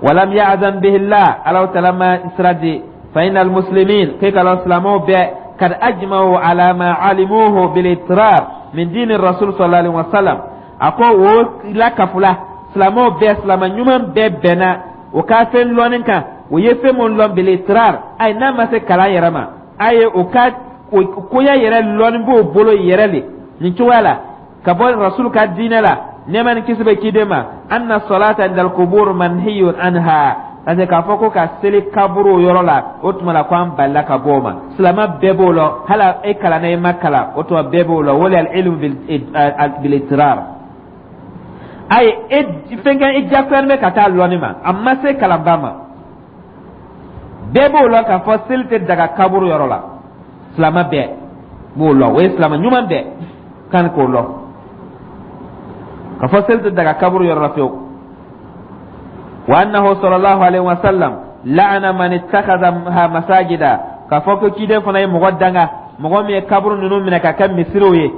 Walam ya'zan bihi Allah, Alahu Taala ma sira di. Fa innal muslimin, k'e ka lɔn silamɛw bɛɛ kad ajma'u ala ma alimuhu bil itrar min dini rasul sallallahu alaihi wasallam. A ko o la kafula, silamɛw bɛɛ, silamɛ ɲuman bɛɛ bɛnna o ka fɛn lɔnni kan, o ye fɛn mun lɔn bil itrar. Ayi, n'a ma se kalan yɛrɛ ma, a ye o ka koya yɛrɛ lɔnni b'o bolo yɛrɛ le nin cogoya la ka bɔ rasul ka diinɛ la, nɛɛma ni kisi bɛ ciden ma. Anna salata indal qubur manhiyun anha, parce que k'a fɔ ko ka seli kaburu yɔrɔ la, o tuma la ko an balila ka bɔ o ma. Silamɛ bɛɛ b'o lɔn, hali e kalanna i ma kalan, o tuma bɛɛ b'o lɔn. O le al ilmu bil itrar. Ayi, e fɛn kɛ i jagoyalen bɛ ka taa lɔnni ma, a ma se kalanba ma, bɛɛ b'o lɔn k'a fɔ seli tɛ daga kaburu yɔrɔ la. Silamɛ bɛɛ b'o lɔn, o ye silamɛ ɲuman bɛɛ kan k'o lɔn k'a fɔ seli tɛ daga kaburu yɔrɔ la fiyewu. Wa annahu sallallahu alaihi wa sallam la'ana man ittakhadha masajida, k'a fɔ ko ciden fana ye mɔgɔ danga, mɔgɔ min ye kaburu ninnu minɛ ka kɛ misiriw ye.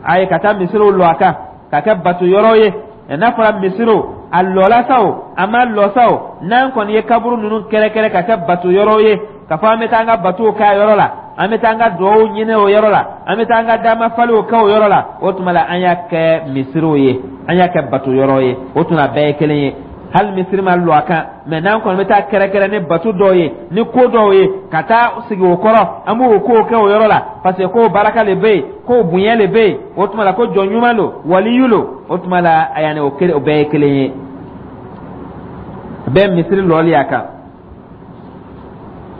A ye ka taa misiriw lɔ a kan ka kɛ bato yɔrɔ ye. N'a fɔra misiriw, a lɔla sa o, a ma lɔ sa o, n'an kɔni ye kaburu ninnu kɛrɛkɛrɛ ka kɛ bato yɔrɔ ye, k'a fɔ an bɛ taa an ka batow kɛ a yɔrɔ la, an bɛ taa an ka duwawu ɲini o yɔrɔ la, an bɛ taa an ka dama faliw kɛ o yɔrɔ la, o tuma la an y'a kɛ misiriw ye, an y'a kɛ bato yɔrɔ ye. O tuma bɛɛ ye kelen ye, hali misiri ma lɔ a kan mɛ, n'an kɔni bɛ taa kɛrɛkɛrɛ ni bato dɔw ye, ni ko dɔw ye, ka taa sigi o kɔrɔ, an b'o kow kɛ o yɔrɔ la parce que ko baraka le bɛ yen, ko bonya le bɛ yen, o tuma la ko jɔn ɲuman lo, waliyu lo, o tuma la yanni o kelen, o bɛɛ ye kelen ye, bɛɛ misiri lɔli a kan.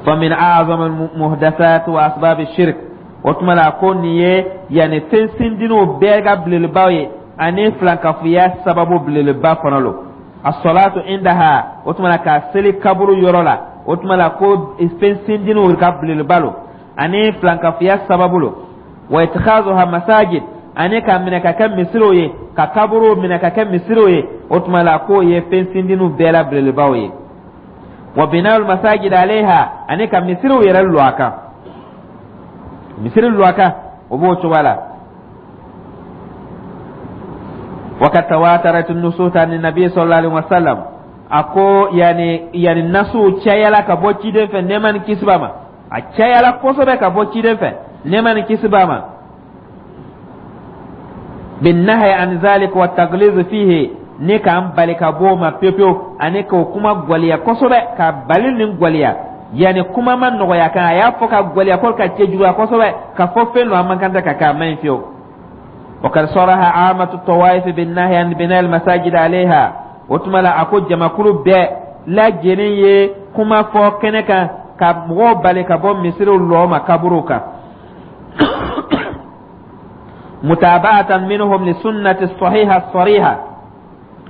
Famin a'zam al-muhdathat wa asbab ash-shirk, O tuma la, ko nin ye yanni fɛn sindininw bɛɛ ka belebelebaw ye, ani filankafoya sababu belebeleba fana lo. As-salatu indaha, o tuma la ka seli kaburu yɔrɔ la, o tuma la ko fɛn sindininw ka belebeleba lo ani filankafoya sababu lo. Wa ittikhazuha masajid, ani ka minɛ ka kɛ misiriw ye, ka kaburuw minɛ ka kɛ misiriw ye, o tuma la k'o ye fɛn sindininw bɛɛ la belebelebaw ye. Wa bina'ul masajid alayha, ani ka misiriw yɛrɛ lɔ a kan, misiri lɔ a kan, o b'o cogoya la. Wa kad tawatarat nusus an nabi sallallahu alaihi wasallam, a ko yani yani nasuw cayala ka bɔ ciden fɛ, nɛɛma ni kisi b'a ma. A cayala kosɛbɛ ka bɔ ciden fɛ, nɛɛma ni kisi b'a ma, binnahi an zalik wa tagliz fihi, ni k'an bali ka bɔ o ma pewu pewu, ani k'o kuma gwɛlɛya kosɛbɛ, ka bali nin gwɛlɛya, yanni kuma ma nɔgɔya kan, a y'a fɔ ka gwɛlɛya ko ka cɛjuguya kosɛbɛ, ka fɔ fɛn dɔ a man kan tɛ ka kɛ, a man ɲi fiyewu. وقد صرح عامة الطوائف بالنهي عن بناء المساجد عليها. O tuma la, a ko jamakulu bɛɛ lajɛlen ye kuma fɔ kɛnɛ kan ka mɔgɔw bali ka bɔ misiriw lɔ ma kaburuw kan, mutaba'atan minhum li sunnati sahiha sariha.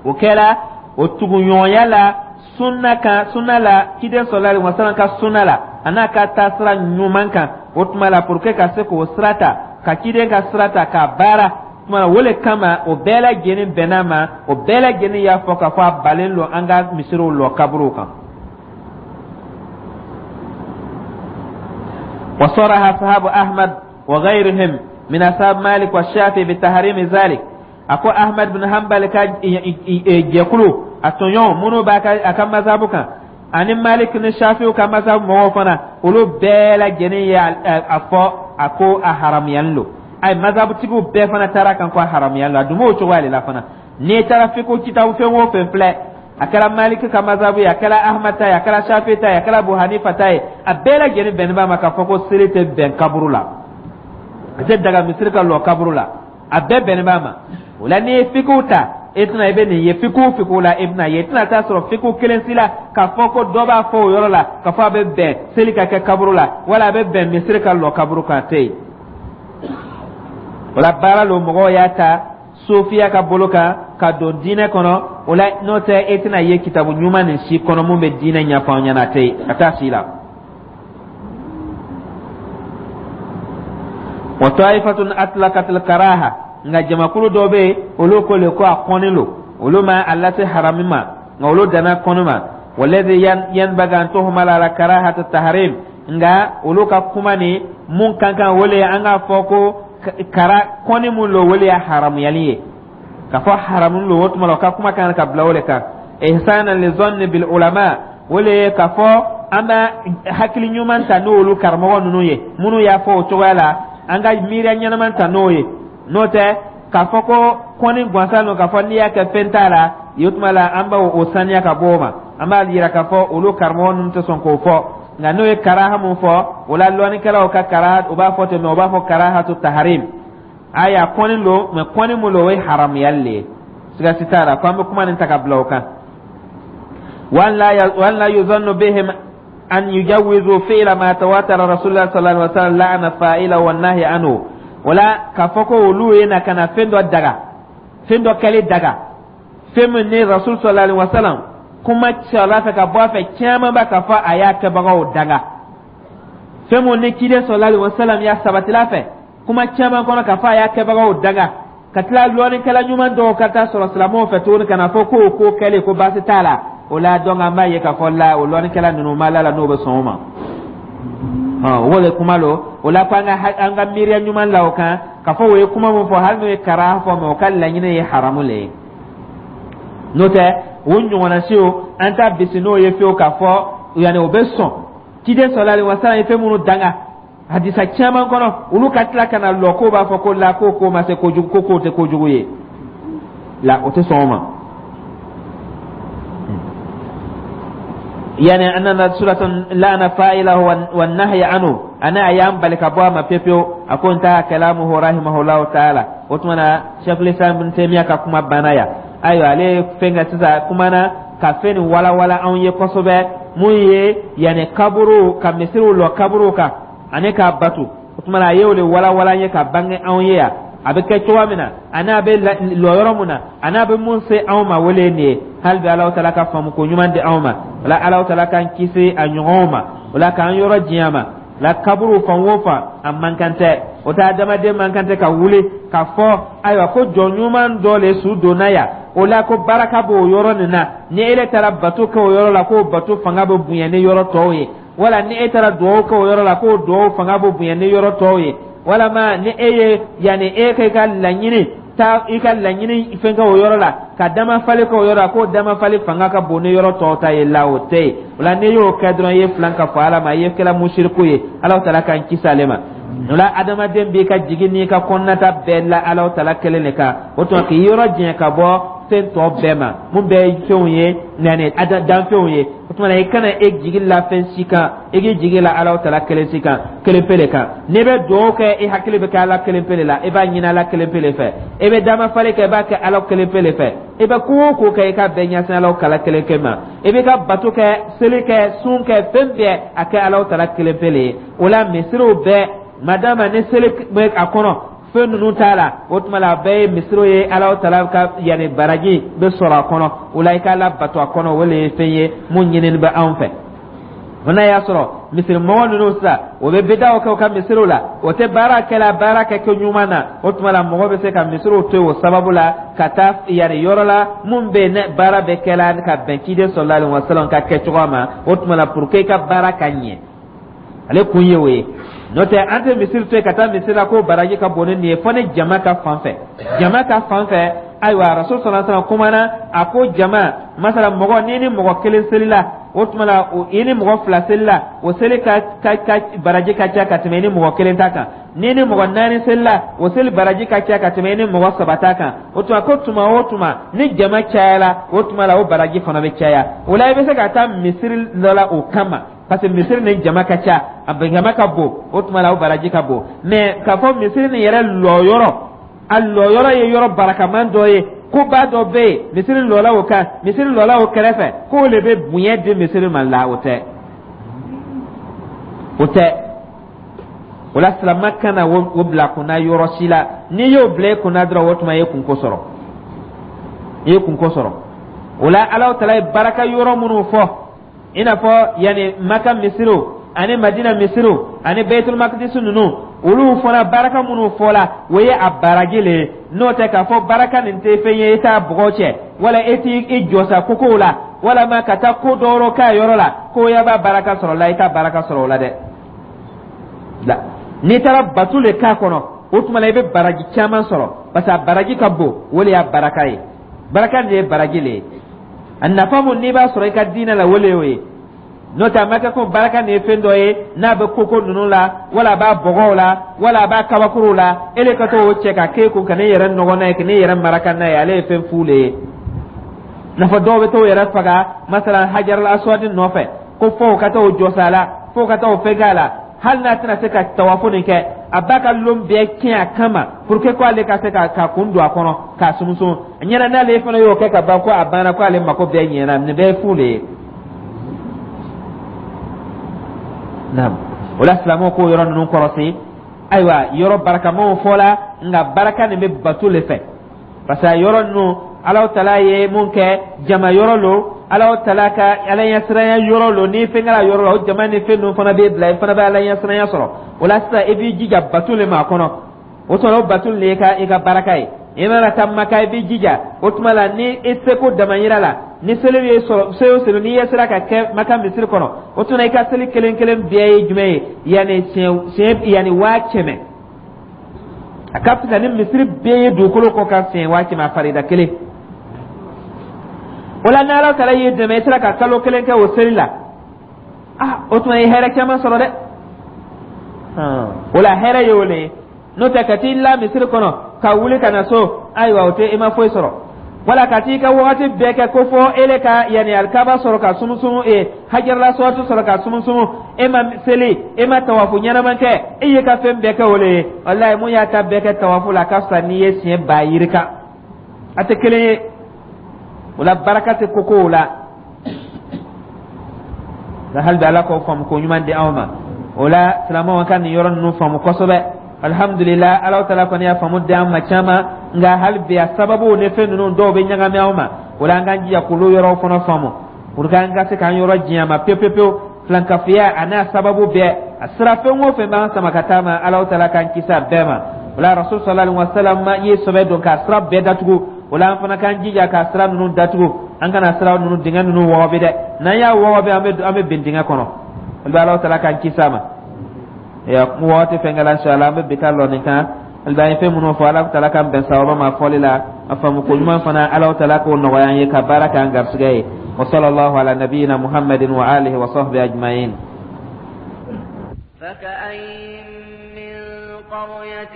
O kɛra o tuguɲɔgɔnya la sunna kan, sunna la, ciden sallallahu alaihi wasallam ka sunna la, a n'a ka taasira ɲuman kan. O tuma la, pour que ka se k'o sira ta, ka ciden ka sira ta k'a baara tuma la, o le kama o bɛɛ lajɛlen bɛnna ma, o bɛɛ lajɛlen y'a fɔ k'a fɔ a balen don an ka misiriw lɔ kaburuw kan. Wa saraha sahabu Ahmad wa ghayrihim min ashab Malik wa Shafi bi tahrimi zalik. A ko Ahmad bin Hanbal ka jɛkulu, a tɔɲɔgɔn minnu b'a ka a ka mazabu kan, ani Malik ni Shafiw ka mazabu mɔgɔw fana, olu bɛɛ lajɛlen ye a fɔ a ko a haramuyalen don. Ayi, mazabutigiw bɛɛ fana taara kan ko a haramuyalen don. A dun b'o cogoya de la fana. N'i taara fiqh kitabu fɛn o fɛn filɛ, a kɛra Maliki ka mazabu ye, a kɛra Ahmad ta ye, a kɛra Shafi ta ye, a kɛra Abu Hanifa ta ye, a bɛɛ lajɛlen bɛnnen b'a ma k'a fɔ ko seli tɛ bɛn kaburu la, a tɛ daga misiri ka lɔ kaburu la, a bɛɛ bɛnnen b'a ma. O la, n'i ye fiqh ta, e tɛna i bɛ nin ye fiqh fiqh la, e bɛna ye, i tɛna taa sɔrɔ fiqh kelen si la k'a fɔ ko dɔ b'a fɔ o yɔrɔ la k'a fɔ a bɛ bɛn seli ka kɛ kaburu la, wala a bɛ bɛn misiri ka lɔ kaburu kan, a tɛ yen. O la, baara lo mɔgɔw y'a ta sofiya ka bolo kan ka don diinɛ kɔnɔ. O la, n'o tɛ, e tɛna ye kitabu ɲuman nin si kɔnɔ mun bɛ diinɛ ɲɛfɔ an ɲɛna, a tɛ yen, a t'a si la. Wa ta'ifatun atlaqat al-karaha, nka jamakulu dɔ bɛ yen, olu ko le ko a kɔnnen don, olu ma a lase harami ma, nka olu danna kɔnni ma. Walladhi yanbaghi an tuhmala ala karahati tahrim, nka olu ka kuma ni mun kan kan, o le ye an k'a fɔ ko kara kɔnni mun lo, o le ye haramuyali ye, k'a fɔ haramu lo. O tuma la, o ka kuma kan ka bila o de kan. Ihsanan li zanni bil ulama, o le ye k'a fɔ an bɛ hakili ɲuman ta n'olu karamɔgɔ ninnu ye minnu y'a fɔ o cogoya la, an ka miiriya ɲɛnama ta n'o ye. N'o tɛ, k'a fɔ ko kɔnni gansan don, k'a fɔ n'i y'a kɛ fɛn t'a la, o tuma la an b'o saniya ka bɔ o ma. An b'a yira k'a fɔ olu karamɔgɔ ninnu tɛ sɔn k'o fɔ, nka n'o ye karaha mun fɔ, o la lɔnnikɛlaw ka karaha, u b'a fɔ ten, mɛ u b'a fɔ karahatu taharim. Aya, kɔnni don, mɛ kɔnni mun don, o ye haramuyali le ye, siga si t'a la ko an bɛ kuma nin ta ka bila o kan. Wa an la yuzannu bihim an yujawizu fi'la ma tawatara rasulullah sallallahu alaihi wasallam la'ana fa'ila wa nahi anhu. Wala k'a fɔ ko olu ye na ka na fɛn dɔ daga, fɛn dɔ kɛli daga, fɛn min ni rasul sallallahu alaihi wasallam kuma sɔrɔla fɛ ka bɔ a fɛ caman ba k'a fɔ a y'a kɛbagaw danga, fɛn mun ni ciden sallallahu alaihi wasallam y'a sabatila fɛ kuma caman kɔnɔ k'a fɔ a y'a kɛbagaw danga, ka tila lɔnnikɛla ɲuman dɔw ka taa sɔrɔ silamɛw fɛ tuguni ka na fɔ k'o ko kɛlen ko baasi t'a la, o la donc an b'a ye k'a fɔ la o lɔnnikɛla ninnu ma la la n'o bɛ sɔn o ma. O de kuma lo. O la, ko an ka an ka miiriya ɲuman la o kan k'a fɔ o ye kuma min fɔ, hali n'o ye karaha fɔ, mɛ o ka laɲini ye haramu le ye. N'o tɛ, o ɲɔgɔnna siw an t'a bisi n'o ye fiyewu k'a fɔ yanni o bɛ sɔn ciden sallallahu alaihi wasallam ye fɛn minnu danga hadisa caman kɔnɔ, olu ka tila ka na lɔ k'o b'a fɔ ko la ko ko ma se kojugu, ko k'o tɛ kojugu ye la, o tɛ sɔn o ma. Yani anna suratan la'ana fa'ilahu wan nahya anhu, ana ayam bali ka bɔ a ma pepewu. A ko intaha kalamuhu rahimahullahu ta'ala. O tuma na, Sheikhul Islam Ibn Taymiyyah ka kuma banna yan. Ayiwa, ale ye fɛn kɛ sisan, kumana ka fɛn nin walawala anw ye kosɛbɛ, mun ye yanni kaburu ka misiriw lɔ kaburu kan ani k'a batu. O tuma na, a y'o de walawala an ye ka bange anw ye yan, a bɛ kɛ cogoya min na, ani a bɛ lɔ yɔrɔ mun na, ani a bɛ mun se anw ma. Wele nin ye. Hali bi, Alahu Taala ka faamu ko ɲuman di anw ma. O la, Alahu Taala k'an kisi a ɲɔgɔnw ma. O la, k'an yɔrɔ diɲɛ ma la kaburu fan o fan, a man kan tɛ. O tɛ adamaden man kan tɛ ka wuli ka fɔ ayiwa ko jɔn ɲuman dɔ le su donna yan, o la ko baraka b'o yɔrɔ nin na, ni e taara bato kɛ o yɔrɔ la, k'o bato fanga bɛ bonya ni yɔrɔ tɔw ye, wala ni e taara duwawu kɛ o yɔrɔ la, k'o duwawu fanga bɛ bonya ni yɔrɔ tɔw ye, walama ni e ye yanni e ka i ka laɲini taa, i ka laɲini fɛn kɛ o yɔrɔ la, ka damafali kɛ o yɔrɔ la, k'o damafali fanga ka bon ni yɔrɔ tɔw ta ye la, o tɛ yen. O la, n'i y'o kɛ dɔrɔn, i ye filan ka fɔ Ala ma, i ye kɛla musiriku ye. Ala Taala k'an kisi ale ma. O la, adamaden b'i ka jigin n'i ka kɔnɔnata bɛɛ la Ala Taala kelen de kan. O tuma, k'i yɔrɔ janya ka bɔ fɛn tɔ bɛɛ ma, mun bɛɛ ye fɛnw ye, yanni danfɛnw ye. O tuma na, i kana e jigi la fɛn si kan, i k'i jigi la Ala Taala kelen si kan, kelen pe de kan. N'i bɛ dugawu kɛ, i hakili bɛ kɛ Ala kelen pe de la, i b'a ɲini Ala kelen pe de fɛ. I bɛ damafali kɛ, i b'a kɛ Ala kelen pe de fɛ. I bɛ ko o ko kɛ, i ka bɛɛ ɲɛsin Ala kala kelen kɛ ma. I b'i ka bato kɛ, seli kɛ, sun kɛ, fɛn bɛɛ a kɛ Ala Taala kelen pe de ye. O la, misiriw bɛɛ, madama ni seli bɛ a kɔnɔ, fɛn ninnu t'a la, o tuma la, a bɛɛ ye misiriw ye. Ala Taala ka yanni baraji bɛ sɔrɔ a kɔnɔ. O la, i k'a la bato a kɔnɔ, o de ye fɛn ye mun ɲinini bɛ anw fɛ. O n'a y'a sɔrɔ misirimɔgɔ ninnu sisan, o bɛ bidaw kɛ u ka misiriw la, o tɛ baara kɛla baara kɛ kɛ ɲuman na, o tuma la, mɔgɔ bɛ se ka misiriw to yen o sababu la, ka taa yanni yɔrɔ la mun bɛ yen ne baara bɛ kɛla ka bɛn ciden sallallahu alaihi wasallam ka kɛ cogoya ma. O tuma la, pour que i ka baara ka ɲɛ, ale kun ye o ye. N'o tɛ, an tɛ misiri to yen ka taa misiri la ko baraji ka bon ni nin ye, fo ni jama ka fan fɛ. Jama ka fan fɛ, ayiwa, Rasul sallallahu alaihi wasallam kumana, a ko jama masala, mɔgɔ n'i ni mɔgɔ kelen selila, o tuma la, i ni mɔgɔ fila selila, o seli ka ka ka baraji ka ca ka tɛmɛ i ni mɔgɔ kelen ta kan. N'i ni mɔgɔ naani selila, o seli baraji ka ca ka tɛmɛ i ni mɔgɔ saba ta kan. O tuma, ko tuma o tuma ni jama cayala, o tuma la, o baraji fana bɛ caya. O la, i bɛ se ka taa misiri dɔ la o kama, parce que misiri ni jama ka ca, a jama ka bon, o tuma la, o baraji ka bon. Mais k'a fɔ misiri nin yɛrɛ lɔyɔrɔ, a lɔyɔrɔ ye yɔrɔ barakaman dɔ ye, koba dɔ bɛ yen, misiri lɔla o kan, misiri lɔla o kɛrɛfɛ, k'o de bɛ bonya di misiri ma la, o tɛ, o tɛ. O la, silamɛ kana o bila kunna yɔrɔ si la. N'i y'o bila i kunna dɔrɔn, o tuma, i ye kunko sɔrɔ, i ye kunko sɔrɔ. O la, Alahu Taala ye baraka yɔrɔ minnu fɔ, i n'a fɔ yanni Maka misiriw ani Madina misiriw ani Baitul Makdis ninnu, olu fana baraka minnu fɔla, o ye a baraji le ye. N'o tɛ, k'a fɔ baraka nin tɛ fɛn ye, i t'a bɔgɔ cɛ, wala e t'i i jɔsa kokow la, walama ka taa ko dɔ k'a yɔrɔ la ko ya b'a baraka sɔrɔ la, i t'a baraka sɔrɔ o la dɛ. La, n'i taara bato le k'a kɔnɔ, o tuma la, i bɛ baraji caman sɔrɔ, parce que a baraji ka bon. O de y'a baraka ye. Baraka de ye baraji le ye. A nafa mun n'i b'a sɔrɔ i ka diinɛ la, o le y'o ye. N'o tɛ, a ma kɛ ko baraka nin ye fɛn dɔ ye n'a bɛ koko ninnu la, wala a b'a bɔgɔw la, wala a b'a kabakuruw la, e de ka t'o cɛ ka k'e kun ka ne yɛrɛ nɔgɔ n'a ye, ka ne yɛrɛ maraka n'a ye. Ale ye fɛn fu le ye. N'a fɔ dɔw bɛ t'o yɛrɛ faga masalan hajarul aswadi nɔfɛ, ko fo ka t'o jɔsa la, fo ka t'o fɛn k'a la, hali n'a tɛna se ka tawafu nin kɛ, a b'a ka lon bɛɛ tiɲɛ a kama pour que ko ale ka se ka ka kun don a kɔnɔ k'a sumusumu ɲɛna. N'ale fana y'o kɛ ka ban, ko a banna, ko ale mako bɛɛ ɲɛna. Nin bɛɛ ye fu de ye. Naam, o la, silamɛw k'o yɔrɔ ninnu kɔrɔsi. Ayiwa, yɔrɔ barakamaw fɔla, nka baraka nin bɛ bato le fɛ, parce que yɔrɔ ninnu, Alahu Taala ye mun kɛ, jama yɔrɔ lo, Alahu Taala ka Ala ɲɛsiranya yɔrɔ lo. N'i fɛn kɛra yɔrɔ la, o jama ni fɛn ninnu fana b'e bila, i fana bɛ Ala ɲɛsiranya sɔrɔ. O la sisan, i b'i jija bato le ma a kɔnɔ. O tuma, o bato le ye ka i ka baraka ye. I mana taa Maka, i b'i jija. O tuma la, ni i seko damayira la, ni seli ye sɔrɔ, seli o seli n'i ye sera ka kɛ Maka misiri kɔnɔ, o tuma, i ka seli kelen kelen bɛɛ ye jumɛn ye? Yanni siɲɛ siɲɛ yanni waa kɛmɛ, a ka fisa ni misiri bɛɛ ye dugukolo kɔ kan siɲɛ waa kɛmɛ, a farida kelen. O la, n'Ala Taala y'i dɛmɛ, i sera ka kalo kelen kɛ o seli la, ah, o tuma, i ye hɛrɛ caman sɔrɔ dɛ. O la, hɛrɛ ye o le ye. N'o tɛ, ka t'i la misiri kɔnɔ ka wuli ka na so, ayiwa, o tɛ, i ma foyi sɔrɔ. Wala ka t'i ka wagati bɛɛ kɛ ko fɔ ele ka yanni alikaba sɔrɔ ka sumusumu, e hajarala sɔwati sɔrɔ ka sumusumu, e ma seli, e ma tawafu ɲɛnama kɛ, e y'i ka fɛn bɛɛ kɛ o le ye. Walayi, mun y'a ta bɛɛ kɛ tawafu la, a ka fisa n'i ye siɲɛ ba yirika. A tɛ kelen ye. O la, baraka tɛ kokow la. Nka hali bi, Ala k'o faamu ko ɲuman di anw ma. O la, silamɛw ka nin yɔrɔ ninnu faamu kosɛbɛ. Alhamdulillah, Ala taala kɔni y'a faamu di an ma caman, nka hali bi a sababu ni fɛn ninnu dɔw bɛ ɲagami anw ma. O la, an k'an jija k'olu yɔrɔw fana faamu pour que an ka se k'an yɔrɔ janya ma pewu pewu pewu. Filankafoya a n'a sababu bɛɛ, a sira fɛn o fɛn b'an sama ka taa ma, Ala taala k'an kisi a bɛɛ ma. O la, Rasul sallallahu alaihi wa sallam ye sɛbɛ don k'a sira bɛɛ datugu. O la, an fana k'an jija k'a sira ninnu datugu. An kana sira ninnu, dingɛ ninnu wɔgɔbɛ dɛ. N'an y'a wɔgɔbɛ, an bɛ an bɛ bin dingɛ kɔnɔ. O la, Ala taala k'an kisi a ma. Ya waati fɛn kɛla, inshallah an bɛ bi ta lɔ nin kan. Hali an ye fɛn minnu fɔ, Ala taala k'an bɛn sababa ma fɔli la. A faamu ko ɲuman fana, Ala taala k'o nɔgɔya an ye ka baara k'an garisɛgɛ ye. Wa sallallahu ala nabiyyina Muhammadin wa alihi wa sahbihi ajma'in. فكأين من قرية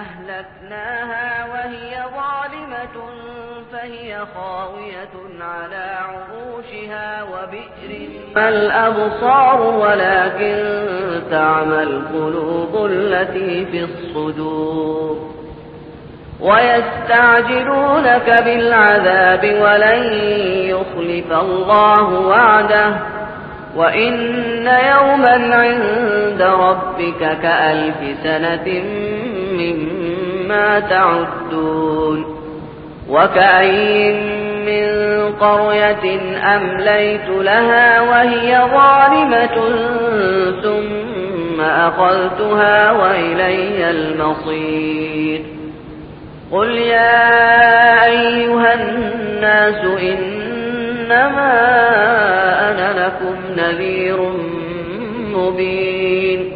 أهلكناها وهي ظالمة فهي خاوية على عروشها وبئر ما الأبصار ولكن تعمى القلوب التي في الصدور. ويستعجلونك بالعذاب ولن يخلف الله وعده وإن يوما عند ربك كألف سنة مما تعدون. وكأين من قرية أمليت لها وهي ظالمة ثم أخذتها وإلي المصير. قل يا أيها الناس إنما أنا لكم نذير مبين.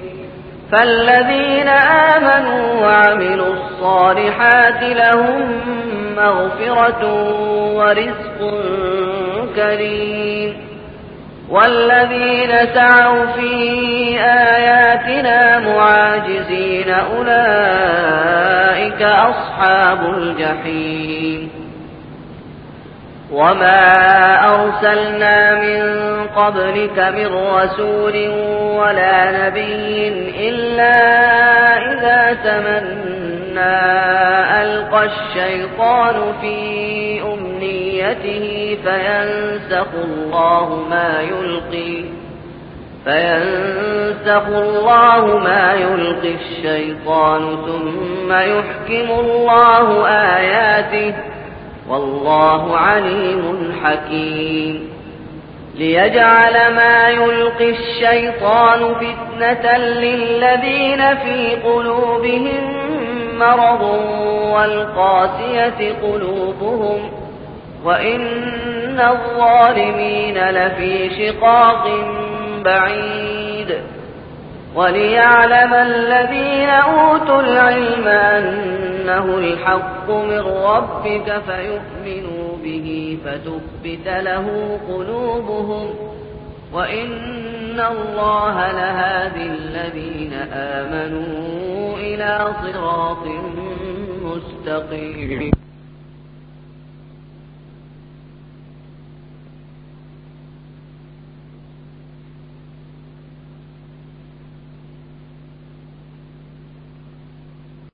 فالذين آمنوا وعملوا الصالحات لهم مغفرة ورزق كريم. والذين سعوا في آياتنا معاجزين أولئك أصحاب الجحيم. وما أرسلنا من قبلك من رسول ولا نبي إلا إذا تمنى ألقى الشيطان في أمنيته فينسخ الله ما يلقي فينسخ الله ما يلقي الشيطان ثم يحكم الله آياته والله عليم حكيم. ليجعل ما يلقي الشيطان فتنة للذين في قلوبهم مرض والقاسية قلوبهم وإن الظالمين لفي شقاق بعيد. وليعلم الذين أوتوا العلم أنه الحق من ربك فيؤمنوا به فتخبت له قلوبهم وإن الله لهادي الذين آمنوا إلى صراط مستقيم.